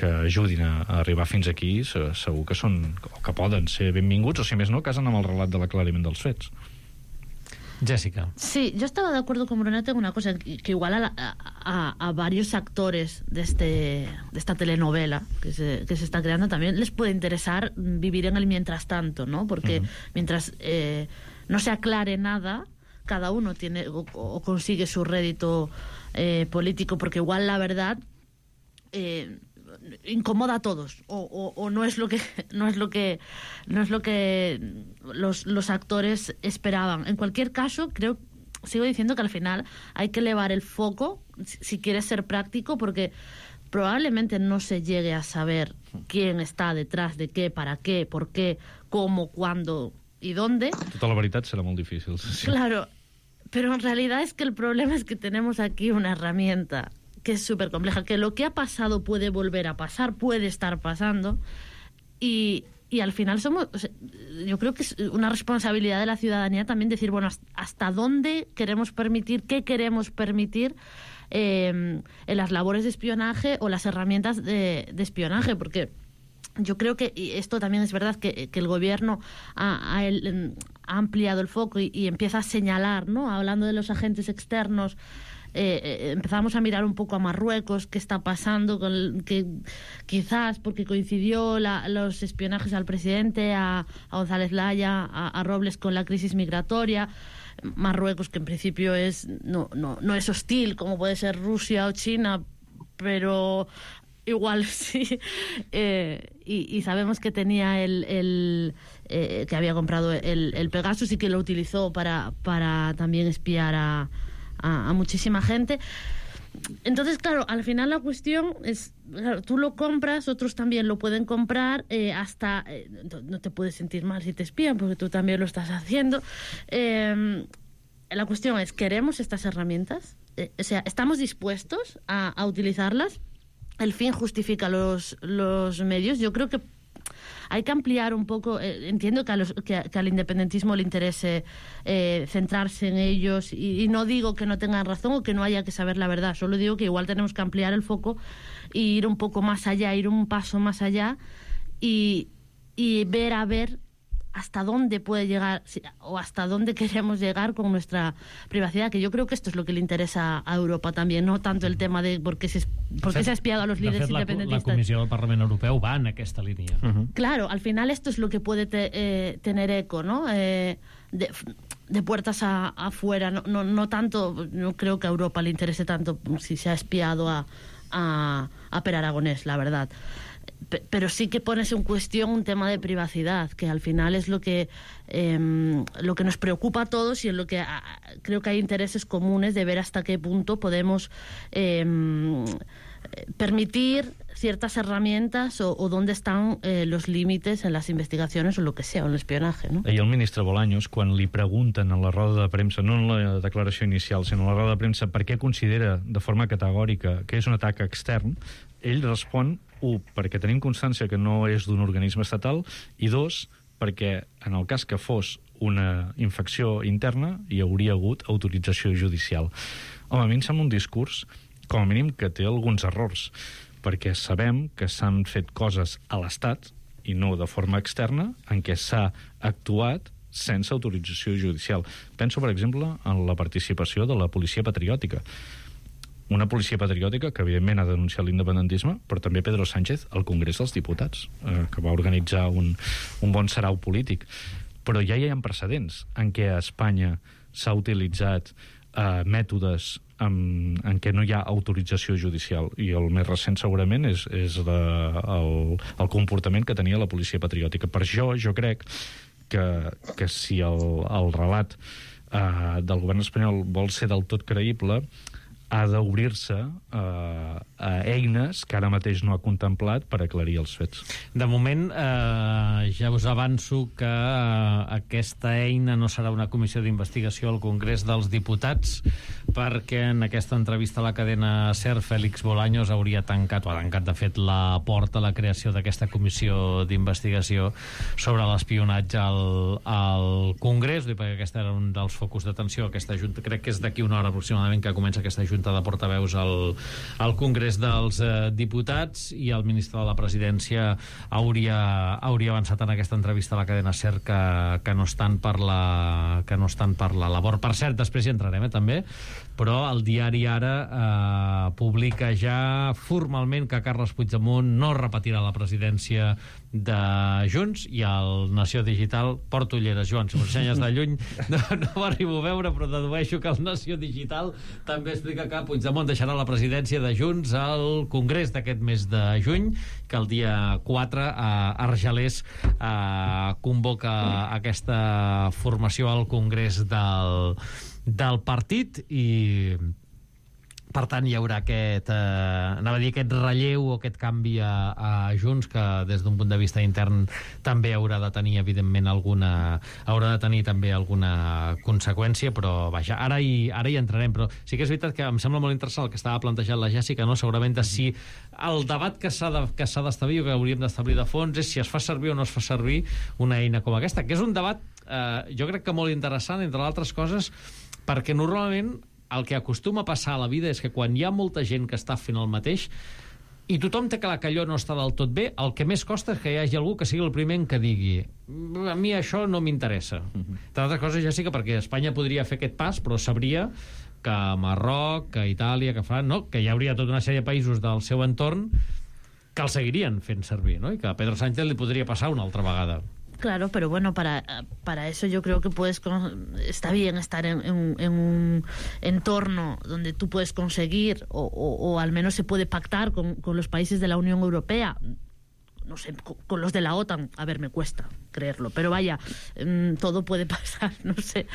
ajudin a arribar fins aquí segur que són, o que poden ser benvinguts, o si més no, casen amb el relat de l'aclariment dels fets. Jessica. Sí, yo estaba de acuerdo con Brunete en una cosa, que igual a varios actores de esta telenovela que se está creando también les puede interesar vivir en el mientras tanto, ¿no? Porque mientras no se aclare nada, cada uno tiene o consigue su rédito político, porque igual la verdad incomoda a todos o no es lo que los actores esperaban. En cualquier caso, sigo diciendo que al final hay que elevar el foco si quieres ser práctico, porque probablemente no se llegue a saber quién está detrás de qué, para qué, por qué, cómo, cuándo y dónde. Tota la veritat serà molt difícil. Sí. Claro, pero en realidad es que el problema es que tenemos aquí una herramienta que es súper compleja, que lo que ha pasado puede volver a pasar, puede estar pasando, y al final yo creo que es una responsabilidad de la ciudadanía también decir, bueno, hasta dónde queremos permitir, qué queremos permitir en las labores de espionaje o las herramientas de espionaje, porque yo creo que, y esto también es verdad, que el gobierno ha ampliado el foco y empieza a señalar, ¿no? Hablando de los agentes externos, empezamos a mirar un poco a Marruecos, qué está pasando, que quizás porque coincidió los espionajes al presidente, a González Laya, a Robles con la crisis migratoria. Marruecos, que en principio no es hostil como puede ser Rusia o China, pero igual sí. Y sabemos que tenía que había comprado el Pegasus y que lo utilizó para también espiar a muchísima gente. Entonces, claro, al final la cuestión es, claro, tú lo compras, otros también lo pueden comprar, no te puedes sentir mal si te espían, porque tú también lo estás haciendo. La cuestión es, ¿queremos estas herramientas? O sea, ¿estamos dispuestos a utilizarlas? ¿El fin justifica los medios? Yo creo que hay que ampliar un poco. Entiendo que al independentismo le interese centrarse en ellos, y no digo que no tengan razón o que no haya que saber la verdad, solo digo que igual tenemos que ampliar el foco e ir un poco más allá, ir un paso más allá y ver hasta dónde puede llegar o hasta dónde queremos llegar con nuestra privacidad, que yo creo que esto es lo que le interesa a Europa también, no tanto el tema de por qué se ha espiado a los líderes independentistas. La Comissió del Parlament Europeu va en aquesta línia. Claro, al final esto es lo que puede tener eco, ¿no? De puertas afuera, no tanto, no creo que a Europa le interese tanto si se ha espiado a Per Aragonés, la verdad. Pero sí que pones en cuestión un tema de privacidad, que al final es lo que nos preocupa a todos y en lo que creo que hay intereses comunes de ver hasta qué punto podemos permitir ciertas herramientas o dónde están los límites en las investigaciones o lo que sea, o en l'espionaje, no? Ahir el ministre Bolaños, quan li pregunten a la roda de premsa, no en la declaració inicial, sinó a la roda de premsa, per què considera de forma categòrica que és un atac extern, ell respon, 1, perquè tenim constància que no és d'un organisme estatal, i 2, perquè en el cas que fos una infecció interna hi hauria hagut autorització judicial. Home, a mi em sembla un discurs, com a mínim, que té alguns errors, perquè sabem que s'han fet coses a l'Estat, i no de forma externa, en què s'ha actuat sense autorització judicial. Penso, per exemple, en la participació de la policia patriòtica. Una policia patriòtica que, evidentment, ha denunciat l'independentisme, però també Pedro Sánchez al Congrés dels Diputats, que va organitzar un bon sarau polític. Però ja hi ha precedents en què a Espanya s'ha utilitzat mètodes en què no hi ha autorització judicial, i el més recent segurament és el comportament que tenia la policia patriòtica. Per això jo crec que si el relat del govern espanyol vol ser del tot creïble, ha d'obrir-se a eines que ara mateix no ha contemplat per aclarir els fets. De moment, ja us avanço que aquesta eina no serà una comissió d'investigació al Congrés dels Diputats, perquè en aquesta entrevista a la cadena SER, Félix Bolaños hauria tancat, o ha tancat, de fet, la porta a la creació d'aquesta comissió d'investigació sobre l'espionatge al Congrés, perquè aquest era un dels focus d'atenció. Aquesta junta, crec que és d'aquí una hora aproximadament que comença aquesta junta de portaveus al Congrés dels Diputats, i el ministre de la Presidència hauria avançat en aquesta entrevista a la cadena SER que no estan per la labor. Per cert, després hi entrarem, també, però el diari Ara publica ja formalment que Carles Puigdemont no repetirà la presidència de Junts, i el Nació Digital, porto ulleres, Joan, si m'ho ensenyes de lluny no ho arribo a veure, però dedueixo que el Nació Digital també explica que Puigdemont deixarà la presidència de Junts al Congrés d'aquest mes de juny, que el dia 4 Argelers convoca aquesta formació al Congrés del partit, i per tant hi haurà aquest relleu o aquest canvi a Junts, que des d'un punt de vista intern també haurà de tenir, evidentment, alguna conseqüència, però vaja, ara hi entrarem. Però sí que és veritat que em sembla molt interessant el que estava plantejant la Jèssica, no? Segurament de si el debat que s'ha d'establir o que hauríem d'establir de fons és si es fa servir o no es fa servir una eina com aquesta, que és un debat jo crec que molt interessant, entre altres coses, perquè normalment el que acostuma a passar a la vida és que quan hi ha molta gent que està fent el mateix i tothom té clar que allò no està del tot bé, el que més costa és que hi hagi algú que sigui el primer en que digui a mi això no m'interessa. Entre altres coses, Jessica, perquè Espanya podria fer aquest pas, però sabria que Marroc, que Itàlia, que França, no? Que hi hauria tota una sèrie de països del seu entorn que el seguirien fent servir, no? I que a Pedro Sánchez li podria passar una altra vegada. Claro, pero bueno, para eso yo creo que está bien estar en un entorno donde tú puedes conseguir o al menos se puede pactar con los países de la Unión Europea, no sé, con los de la OTAN. A ver, me cuesta creerlo, pero vaya, todo puede pasar, no sé.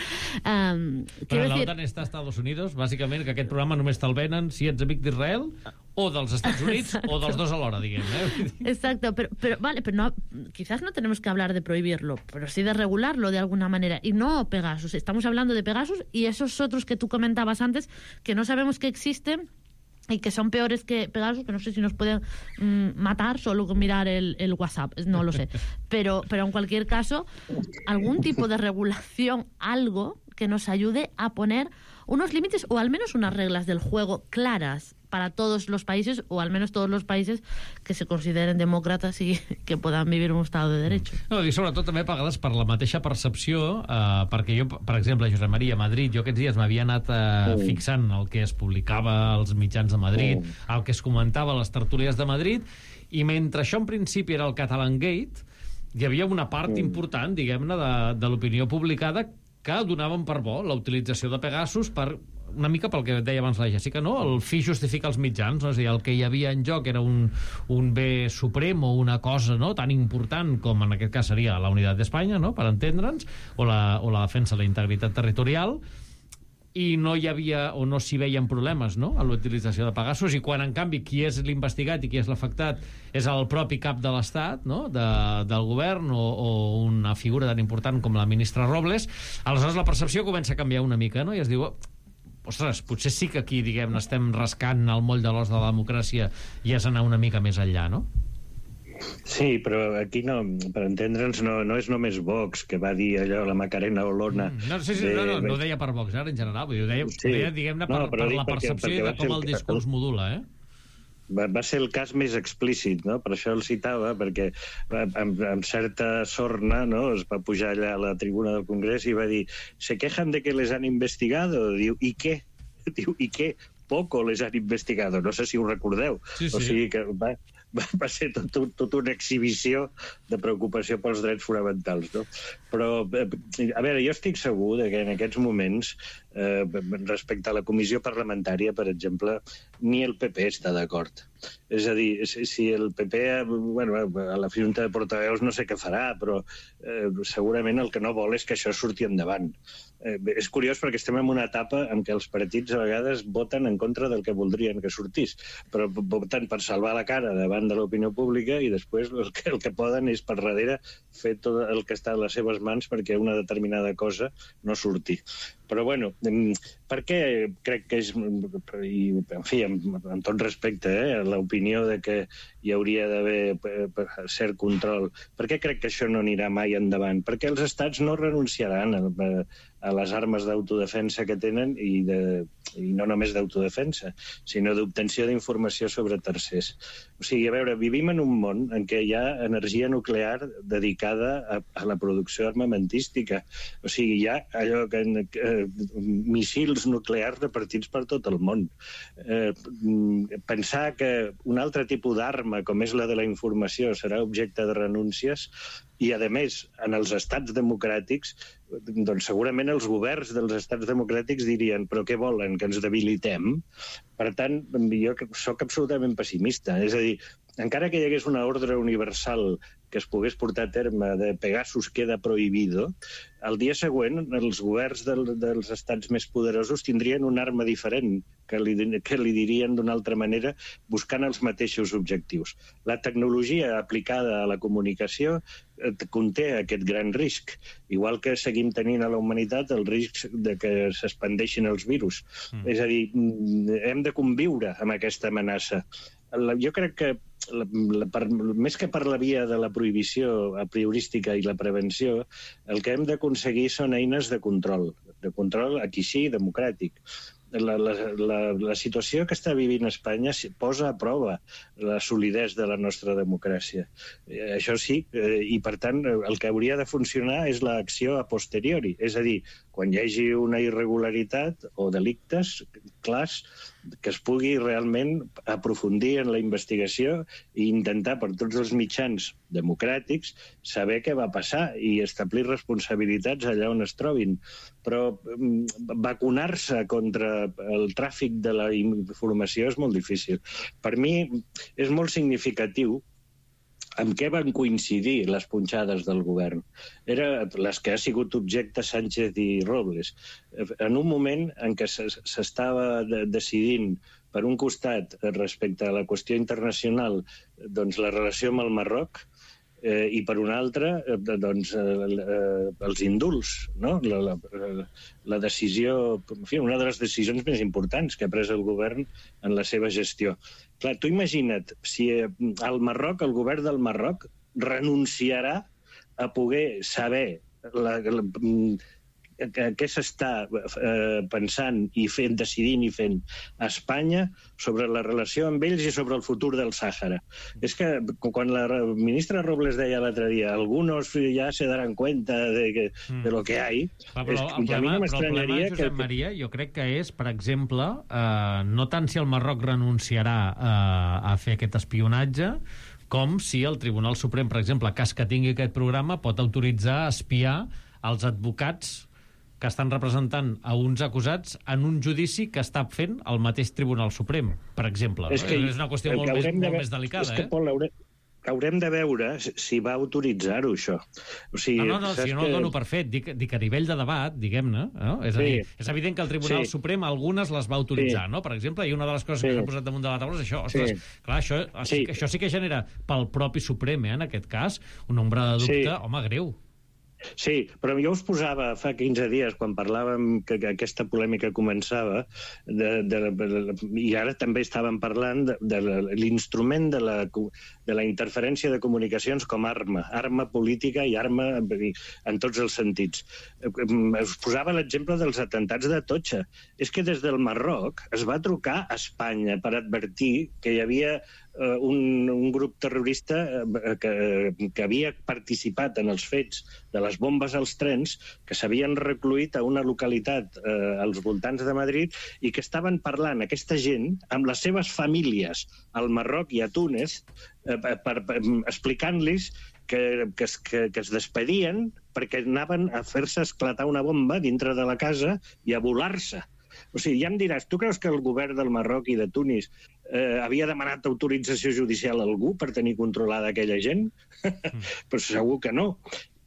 Però la OTAN està a Estats Units, bàsicament, que aquest programa només te'l venen si ets amic d'Israel o dels Estats Units o dels dos alhora, diguem. Exacto, pero vale, pero no, quizás no tenemos que hablar de prohibirlo, pero sí de regularlo de alguna manera. Y no Pegasus, estamos hablando de Pegasus y esos otros que tú comentabas antes, que no sabemos que existen y que son peores que Pegasus, que no sé si nos pueden matar solo con mirar el WhatsApp, no lo sé. Pero en cualquier caso, algún tipo de regulación, algo que nos ayude a poner unos límites o al menos unas reglas del juego claras para todos los países, o al menos todos los países que se consideren demòcrates i que poden vivir un estat de dret. No, i sobretot també a vegades per la mateixa percepció, perquè jo, per exemple, Josep Maria, a Madrid, jo aquests dies m'havia anat fixant el que es publicava als mitjans de Madrid, el que es comentava a les tertúlies de Madrid, i mentre això en principi era el Catalan Gate, hi havia una part important, diguem-ne, de l'opinió publicada que donaven per bo la utilització de Pegasus per una mica pel que deia abans la Jessica, no? El fi justifica els mitjans, no? És a dir, el que hi havia en joc era un bé suprem o una cosa, no?, tan important com en aquest cas seria la unitat d'Espanya, no?, per entendre'ns, o la defensa de la integritat territorial, i no hi havia o no s'hi veien problemes, no?, a l'utilització de Pegasus, i quan, en canvi, qui és l'investigat i qui és l'afectat és el propi cap de l'Estat, no?, del govern, o una figura tan important com la ministra Robles, aleshores la percepció comença a canviar una mica, no?, i es diu, ostres, potser sí que aquí, diguem, estem rascant el moll de l'os de la democràcia i és anar una mica més enllà, no? Sí, però aquí no, per entendre'ns, no és només Vox que va dir allò, la Macarena Olona... No ho deia per Vox, ara, en general, ho deia, diguem-ne, per la percepció i de com el discurs modula, Va ser el cas més explícit, no? Per això el citava, perquè amb certa sorna, no?, es va pujar allà a la tribuna del Congrés i va dir, se quejan de que les han investigado. Diu, ¿y qué? Diu, ¿y qué? Poco les han investigado. No sé si ho recordeu. Sí. O sigui que va ser tot una exhibició de preocupació pels drets fonamentals, no? Però, a veure, jo estic segur que en aquests moments, respecte a la comissió parlamentària, per exemple, ni el PP està d'acord. És a dir, si el PP, bueno, a la Junta de Portaveus no sé què farà, però segurament el que no vol és que això surti endavant. És curiós perquè estem en una etapa en què els partits a vegades voten en contra del que voldrien que sortís, però voten per salvar la cara davant de l'opinió pública i després el que poden és per darrere fer tot el que està a les seves mans perquè una determinada cosa no surti. Però, bueno, per què crec que és, i, en fi, amb tot respecte, l'opinió de que hi hauria d'haver cert control, per què crec que això no anirà mai endavant? Perquè els estats no renunciaran a les armes d'autodefensa que tenen i no només d'autodefensa, sinó d'obtenció d'informació sobre tercers. O sigui, a veure, vivim en un món en què hi ha energia nuclear dedicada a la producció armamentística. O sigui, hi ha allò missils nuclears repartits per tot el món. Pensar que un altre tipus d'arma, com és la de la informació, serà objecte de renúncies i, a més, en els estats democràtics, doncs segurament els governs dels estats democràtics dirien però què volen, que ens debilitem? Per tant, jo soc absolutament pessimista. És a dir, encara que hi hagués una ordre universal que es pogués portar a terme de Pegasus queda prohibido, el dia següent els governs dels estats més poderosos tindrien una arma diferent que li dirien d'una altra manera buscant els mateixos objectius. La tecnologia aplicada a la comunicació conté aquest gran risc, igual que seguim tenint a la humanitat el risc de que s'expandeixin els virus. És a dir, hem de conviure amb aquesta amenaça. Jo crec que més que per la via de la prohibició a priorística i la prevenció, el que hem d'aconseguir són eines de control aquí sí, democràtic. La situació que està vivint Espanya posa a prova la solidesa de la nostra democràcia. Això sí, i per tant el que hauria de funcionar és l'acció a posteriori, és a dir, quan hi hagi una irregularitat o delictes clars, que es pugui realment aprofundir en la investigació i intentar per tots els mitjans democràtics saber què va passar i establir responsabilitats allà on es trobin. Però vacunar-se contra el tràfic de la informació és molt difícil. Per mi és molt significatiu amb què van coincidir les punxades del govern. Eren les que ha sigut objecte Sánchez i Robles. En un moment en què s'estava decidint, per un costat, respecte a la qüestió internacional, doncs la relació amb el Marroc, i per un altre, doncs, els indults, no? La decisió, en fi, una de les decisions més importants que ha pres el govern en la seva gestió. Clar, tu imagina't, si el Marroc, el govern del Marroc, renunciarà a poder saber què s'està pensant i fent, decidint i fent a Espanya sobre la relació amb ells i sobre el futur del Sàhara. És que quan la ministra Robles deia l'altre dia algunos ja se daran cuenta de lo que hay, però el problema, Josep Maria, jo crec que és, per exemple, no tant si el Marroc renunciarà a fer aquest espionatge, com si el Tribunal Suprem, per exemple, cas que tingui aquest programa, pot autoritzar a espiar els advocats que estan representant a uns acusats en un judici que està fent el mateix Tribunal Suprem, per exemple. És una qüestió molt més delicada. És que, Pol, haurem de veure si va autoritzar-ho, això. O sigui, no, si jo no el dono per fet. Dic a nivell de debat, diguem-ne. No? És a dir, és evident que el Tribunal Suprem algunes les va autoritzar, no? Per exemple, i una de les coses que s'ha posat damunt de la taula és això. Ostres, clar, això sí que genera pel propi Suprem, en aquest cas, un nombre de dubte, home, greu. Sí, però jo us posava fa 15 dies, quan parlàvem que aquesta polèmica començava, i ara també estàvem parlant de l'instrument de la interferència de comunicacions com a arma política i arma en tots els sentits. Us posava l'exemple dels atentats d'Atocha. És que des del Marroc es va trucar a Espanya per advertir que hi havia un grup terrorista que havia participat en els fets de les bombes als trens, que s'havien recluït a una localitat als voltants de Madrid i que estaven parlant aquesta gent amb les seves famílies al Marroc i a Túnez explicant-los que es despedien perquè anaven a fer-se esclatar una bomba dintre de la casa i a volar-se. O sigui, ja em diràs, tu creus que el govern del Marroc i de Tunis havia demanat autorització judicial a algú per tenir controlada aquella gent? Però segur que no.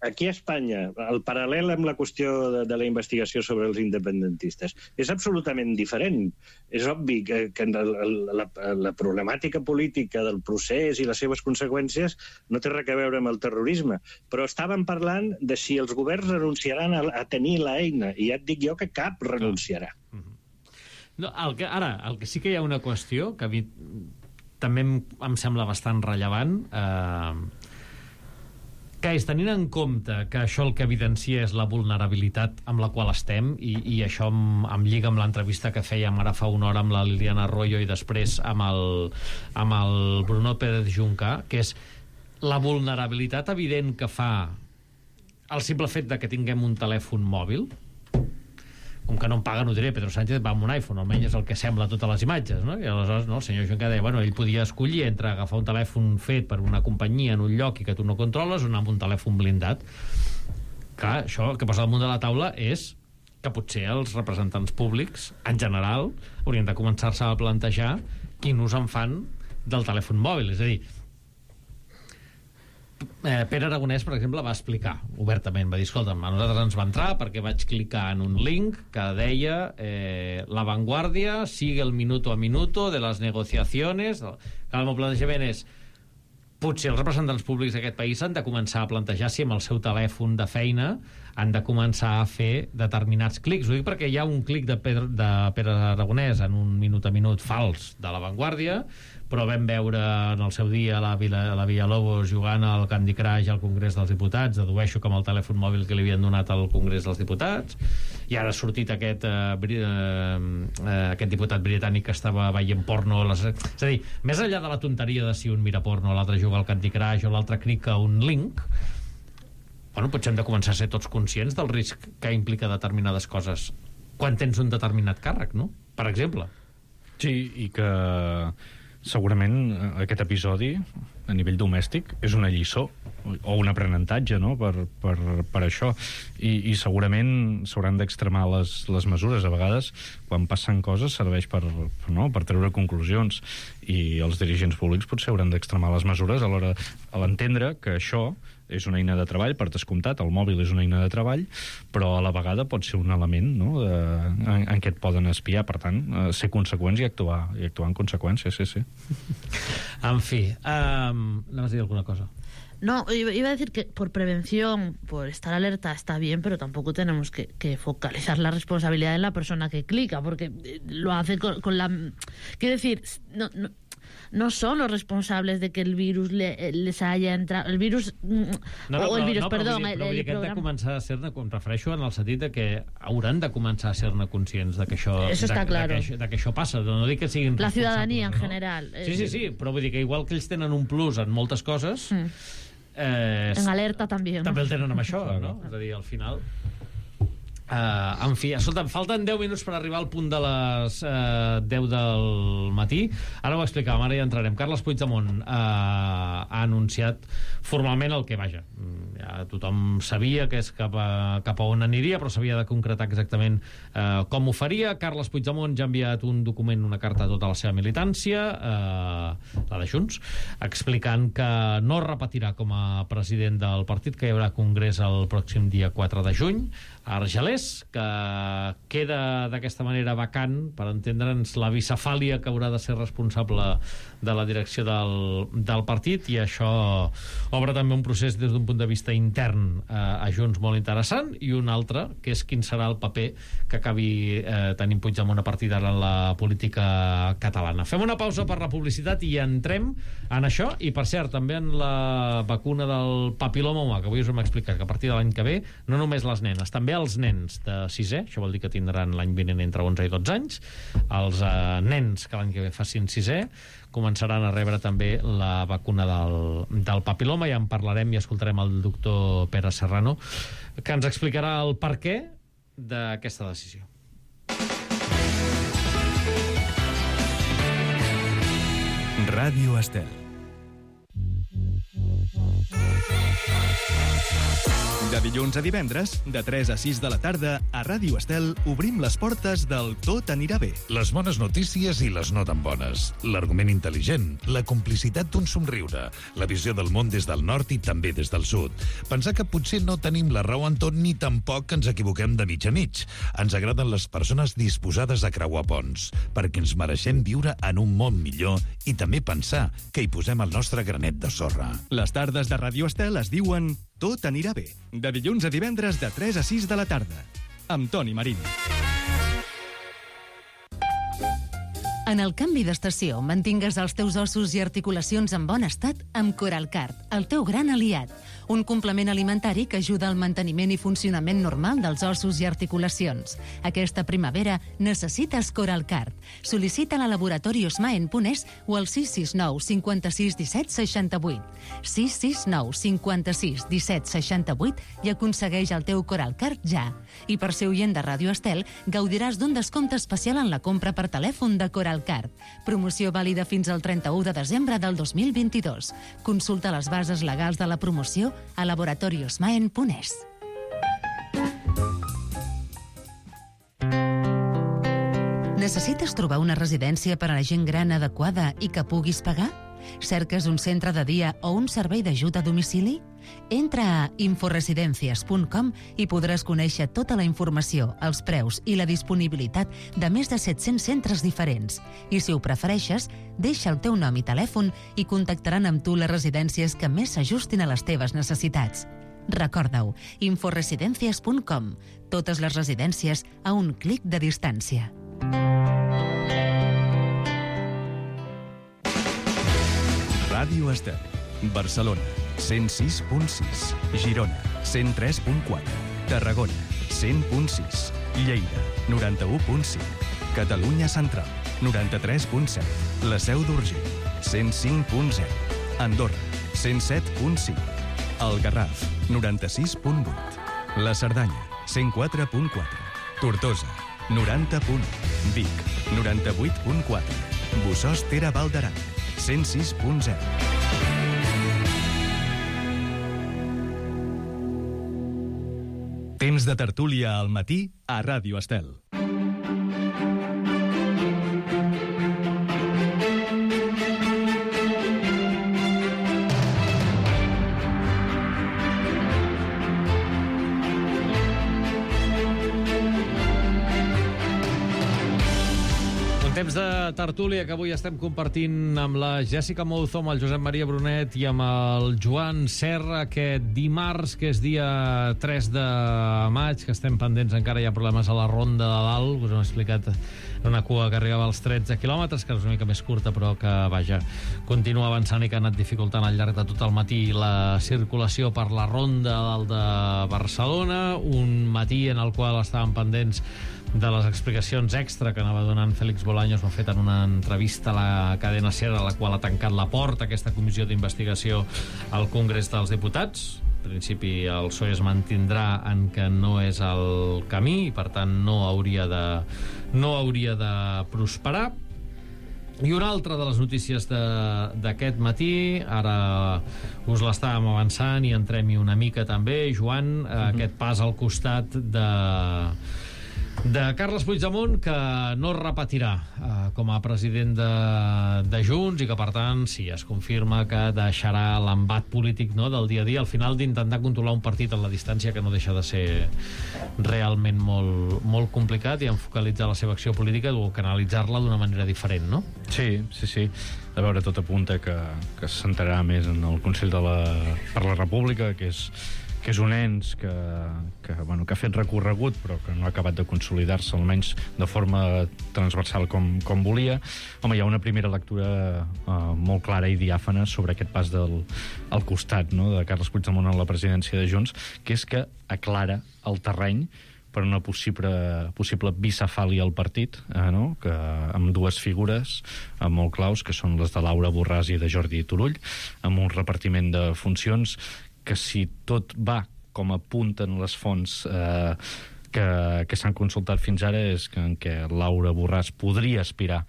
Aquí a Espanya, el paral·lel amb la qüestió de la investigació sobre els independentistes és absolutament diferent. És obvi que la problemàtica política del procés i les seves conseqüències no té res a veure amb el terrorisme, però estàvem parlant de si els governs renunciaran a tenir l'eina, i ja et dic jo que cap renunciarà. No, el que sí que hi ha una qüestió que a mi també em sembla bastant rellevant, que és, tenint en compte que això el que evidencia és la vulnerabilitat amb la qual estem, i això em lliga amb l'entrevista que fèiem ara fa una hora amb la Liliana Arroyo i després amb el Bruno Pérez Junca, que és la vulnerabilitat evident que fa el simple fet de que tinguem un telèfon mòbil. Com que no em paga, no diré, Pedro Sánchez va amb un iPhone, almenys és el que sembla a totes les imatges, no? I aleshores el senyor Junca deia, ell podia escollir entre agafar un telèfon fet per una companyia en un lloc i que tu no controles o anar amb un telèfon blindat. Clar, això el que posa damunt de la taula és que potser els representants públics, en general, haurien de començar-se a plantejar quin ús en fan del telèfon mòbil. És a dir, Pere Aragonès, per exemple, va explicar obertament, va dir, escolta'm, a nosaltres ens va entrar perquè vaig clicar en un link que deia La Vanguardia sigue el minuto a minuto de les negociaciones. El meu plantejament és, potser els representants públics d'aquest país han de començar a plantejar si amb el seu telèfon de feina han de començar a fer determinats clics. Ho dic perquè hi ha un clic de Pere Aragonès en un minut a minut fals de La Vanguardia, però vam veure en el seu dia la Villalobos jugant al Candy Crush al Congrés dels Diputats, dedueixo que amb el telèfon mòbil que li havien donat al Congrés dels Diputats, i ara ha sortit aquest diputat britànic que estava veient porno. És a dir, més enllà de la tonteria de si un mira porno, l'altre juga al Candy Crush o l'altre clica un link, potser hem de començar a ser tots conscients del risc que implica determinades coses quan tens un determinat càrrec, no? Per exemple. Sí, i que segurament aquest episodi, a nivell domèstic, és una lliçó o un aprenentatge, no?, per això. I segurament s'hauran d'extremar les mesures. A vegades, quan passen coses, serveix per treure conclusions. I els dirigents públics potser hauran d'extremar les mesures a l'hora d'entendre que això és una eina de treball, per descomptat, el mòbil és una eina de treball, però a la vegada pot ser un element, no?, en què et poden espiar. Per tant, ser conseqüents i actuar en conseqüència, sí. En fi, anaves a dir alguna cosa? No, iba a decir que por prevención, por estar alerta está bien, pero tampoco tenemos que focalizar la responsabilidad en la persona que clica, porque lo hace con la... Quiero decir, no son los responsables de que el virus les haya entrado... El virus... perdó, el programa... de començar a ser-ne, em refereixo en el sentit de que hauran de començar a ser-ne conscients de que això... Eso está claro. De que això passa. No dic que siguin la ciudadanía en general. Sí, però vull dir que igual que ells tenen un plus en moltes coses... en alerta també, no? També el tenen amb això, no? És a dir, al final... en fi, escolta, falten 10 minuts per arribar al punt de les 10 del matí. Ara ho explicàvem, ara ja entrarem. Carles Puigdemont ha anunciat formalment el que, vaja, ja tothom sabia que és cap a on aniria, però s'havia de concretar exactament com ho faria. Carles Puigdemont ja ha enviat un document, una carta a tota la seva militància, la de Junts, explicant que no repetirà com a president del partit, que hi haurà congrés el pròxim dia 4 de juny a Argelers, que queda d'aquesta manera vacant, per entendre'ns, la bicefàlia que haurà de ser responsable de la direcció del partit, i això obre també un procés des d'un punt de vista intern a Junts molt interessant, i un altre, que és quin serà el paper que acabi tenint Puigdemont a partir d'ara en la política catalana. Fem una pausa per la publicitat i entrem en això, i per cert, també en la vacuna del papiloma humà, que avui us hem explicat que a partir de l'any que ve, no només les nenes, també els nens de 6è, això vol dir que tindran l'any vinent entre 11 i 12 anys, els nens que l'any que ve facin 6è començaran a rebre també la vacuna del papiloma. Ja en parlarem i escoltarem el doctor Pere Serrano, que ens explicarà el perquè d'aquesta decisió. Ràdio Estel. De dilluns a divendres, de 3 a 6 de la tarda, a Ràdio Estel obrim les portes del Tot anirà bé. Les bones notícies i les no tan bones. L'argument intel·ligent, la complicitat d'un somriure, la visió del món des del nord i també des del sud. Pensar que potser no tenim la raó en tot ni tampoc ens equivoquem de mig a mig. Ens agraden les persones disposades a creuar ponts, perquè ens mereixem viure en un món millor i també pensar que hi posem el nostre granet de sorra. Les tardes de Ràdio Estel es diuen Tot anirà bé, de dilluns a divendres de 3 a 6 de la tarda, amb Toni Marín. En el canvi d'estació, mantingues els teus ossos i articulacions en bon estat amb Coralcard, el teu gran aliat. Un complement alimentari que ajuda al manteniment i funcionament normal dels ossos i articulacions. Aquesta primavera necessites Coralcard. Sol·licita-la a Laboratori Osmaen.es o al 669 56 17 68. 669 56 17 68 i aconsegueix el teu Coralcard ja. I per ser oient de Ràdio Estel, gaudiràs d'un descompte especial en la compra per telèfon de Coralcard. Promoció vàlida fins al 31 de desembre del 2022. Consulta les bases legals de la promoció a laboratoriosmaen.es. Necessites trobar una residència per a la gent gran adequada i que puguis pagar? Cerques un centre de dia o un servei d'ajut a domicili? Entra a inforesidencias.com i podràs conèixer tota la informació, els preus i la disponibilitat de més de 700 centres diferents. I si ho prefereixes, deixa el teu nom i telèfon i contactaran amb tu les residències que més s'ajustin a les teves necessitats. Recorda-ho, inforesidencias.com. Totes les residències a un clic de distància. Ràdio Estel. Barcelona, 106.6. Girona, 103.4. Tarragona, 100.6. Lleida, 91.5. Catalunya Central, 93.7. La Seu d'Urgell, 105.0. Andorra, 107.5. El Garraf, 96.8. La Cerdanya, 104.4. Tortosa, 90. Vic, 98.4. Bussòs Tera Val d'Aran, 106.0. Temps de tertúlia al matí a Ràdio Estel. Temps de tertúlia que avui estem compartint amb la Jessica Mouzo, amb el Josep Maria Brunet i amb el Joan Serra aquest dimarts, que és dia 3 de maig, que estem pendents, encara hi ha problemes a la Ronda de Dalt. Us hem explicat una cua que arribava als 13 quilòmetres, que és una mica més curta, però que, vaja, continua avançant i que ha anat dificultant al llarg de tot el matí la circulació per la Ronda de Dalt de Barcelona. Un matí en el qual estaven pendents de les explicacions extra que anava donant Félix Bolaños. Ho ha fet en una entrevista a la cadena SER, a la qual ha tancat la porta aquesta comissió d'investigació al Congrés dels Diputats. En principi el PSOE es mantindrà en que no és el camí i per tant no hauria de prosperar. I una altra de les notícies d'aquest matí, ara us l'estàvem avançant i entrem-hi una mica també, Joan, aquest pas al costat de Carles Puigdemont, que no repetirà com a president de Junts i que, per tant, sí, es confirma que deixarà l'embat polític, no?, del dia a dia, al final d'intentar controlar un partit a la distància, que no deixa de ser realment molt, molt complicat, i en focalitzar la seva acció política o canalitzar-la d'una manera diferent, no? Sí. A veure, tot apunta que es centrarà més en el Consell per la República, que és un ens que ha fet recorregut però que no ha acabat de consolidar-se, almenys de forma transversal com volia. Home, hi ha una primera lectura molt clara i diàfana sobre aquest pas al costat, no?, de Carles Puigdemont a la presidència de Junts, que és que aclara el terreny per una possible bicefàlia al partit, no?, que amb dues figures molt claus, que són les de Laura Borràs i de Jordi Turull, amb un repartiment de funcions que, si tot va com apunten les fonts que s'han consultat fins ara, és en què Laura Borràs podria aspirar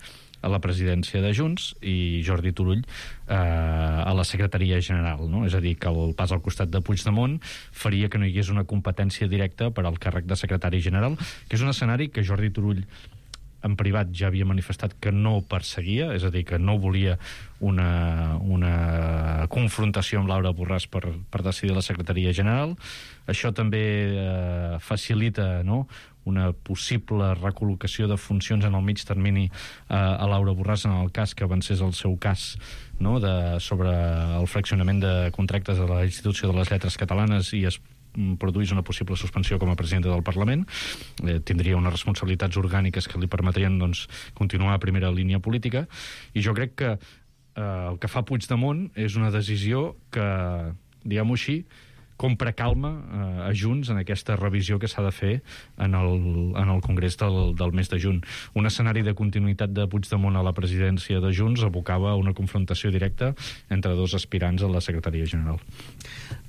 a la presidència de Junts i Jordi Turull a la secretaria general, no? És a dir, que el pas al costat de Puigdemont faria que no hi hagués una competència directa per al càrrec de secretari general, que és un escenari que Jordi Turull en privat ja havia manifestat que no perseguia, és a dir, que no volia una confrontació amb Laura Borràs per decidir la secretaria general. Això també facilita, no?, una possible recol·locació de funcions en el mig termini a Laura Borràs en el cas que avancés el seu cas, no?, sobre el fraccionament de contractes de la Institució de les Lletres Catalanes i es produís una possible suspensió com a presidenta del Parlament. Tindria unes responsabilitats orgàniques que li permetrien, doncs, continuar a primera línia política, i jo crec que el que fa Puigdemont és una decisió que, diguem-ho així, compra calma a Junts en aquesta revisió que s'ha de fer en el Congrés del mes de juny. Un escenari de continuïtat de Puigdemont a la presidència de Junts abocava a una confrontació directa entre dos aspirants a la secretaria general.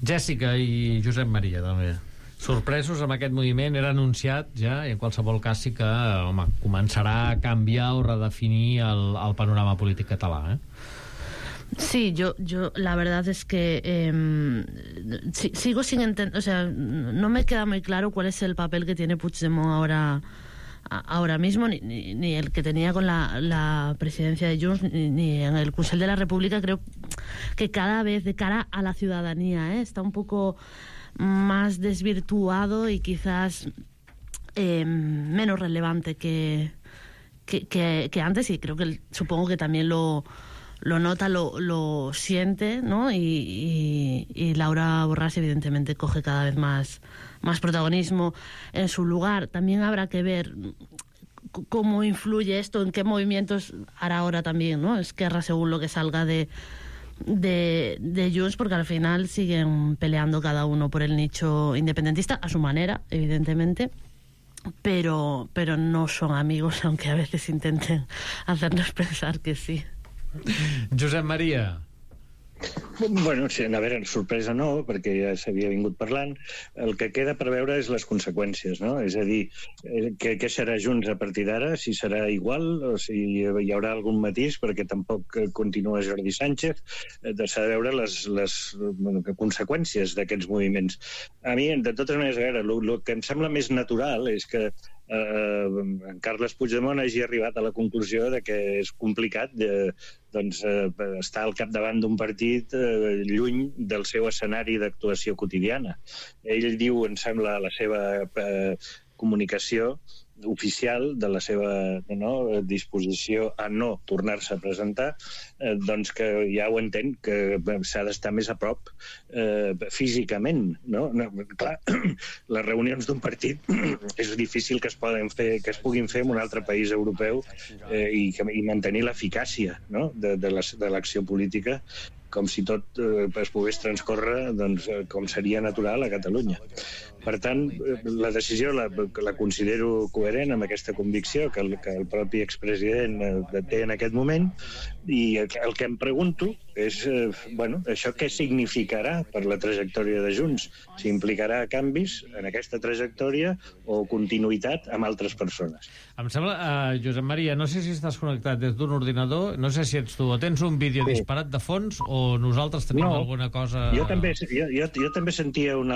Jessica i Josep Maria, també. Sorpresos amb aquest moviment? Era anunciat ja, i en qualsevol cas sí que, home, començarà a canviar o redefinir el panorama polític català, Sí, yo la verdad es que sigo sin entender, o sea, no me queda muy claro cuál es el papel que tiene Puigdemont ahora mismo, ni el que tenía con la presidencia de Junts, ni en el Consell de la República. Creo que cada vez, de cara a la ciudadanía, está un poco más desvirtuado y quizás menos relevante que antes, y creo que supongo que también lo nota, lo siente, ¿no? Y Laura Borràs evidentemente coge cada vez más protagonismo en su lugar. También habrá que ver cómo influye esto, en qué movimientos hará ahora también, ¿no?, Esquerra, según lo que salga de Junts, porque al final siguen peleando cada uno por el nicho independentista, a su manera, evidentemente, pero no son amigos, aunque a veces intenten hacernos pensar que sí. Josep Maria. Bueno, sí, a veure, sorpresa no, perquè ja s'havia vingut parlant. El que queda per veure és les conseqüències, no? És a dir, què serà Junts a partir d'ara, si serà igual o si hi haurà algun matís, perquè tampoc continua Jordi Sánchez. S'ha de veure les conseqüències d'aquests moviments. A mi, de totes maneres, a veure, el que em sembla més natural és que en Carles Puigdemont hagi arribat a la conclusió de que és complicat estar al capdavant d'un partit lluny del seu escenari d'actuació quotidiana. Ell diu, em sembla, a la seva comunicació oficial de la seva disposició a no tornar-se a presentar, doncs que ja ho entén, que s'ha d'estar més a prop físicament. Clar, les reunions d'un partit és difícil que es puguin fer en un altre país europeu i mantenir l'eficàcia de l'acció política com si tot es pogués transcórrer com seria natural a Catalunya. Per tant, la decisió la considero coherent amb aquesta convicció que el propi expresident té en aquest moment, i el que em pregunto és, això què significarà per la trajectòria de Junts? Si implicarà canvis en aquesta trajectòria o continuïtat amb altres persones. Em sembla, Josep Maria, no sé si estàs connectat des d'un ordinador, no sé si ets tu, o tens un vídeo disparat de fons, o nosaltres tenim alguna cosa... Jo també sentia una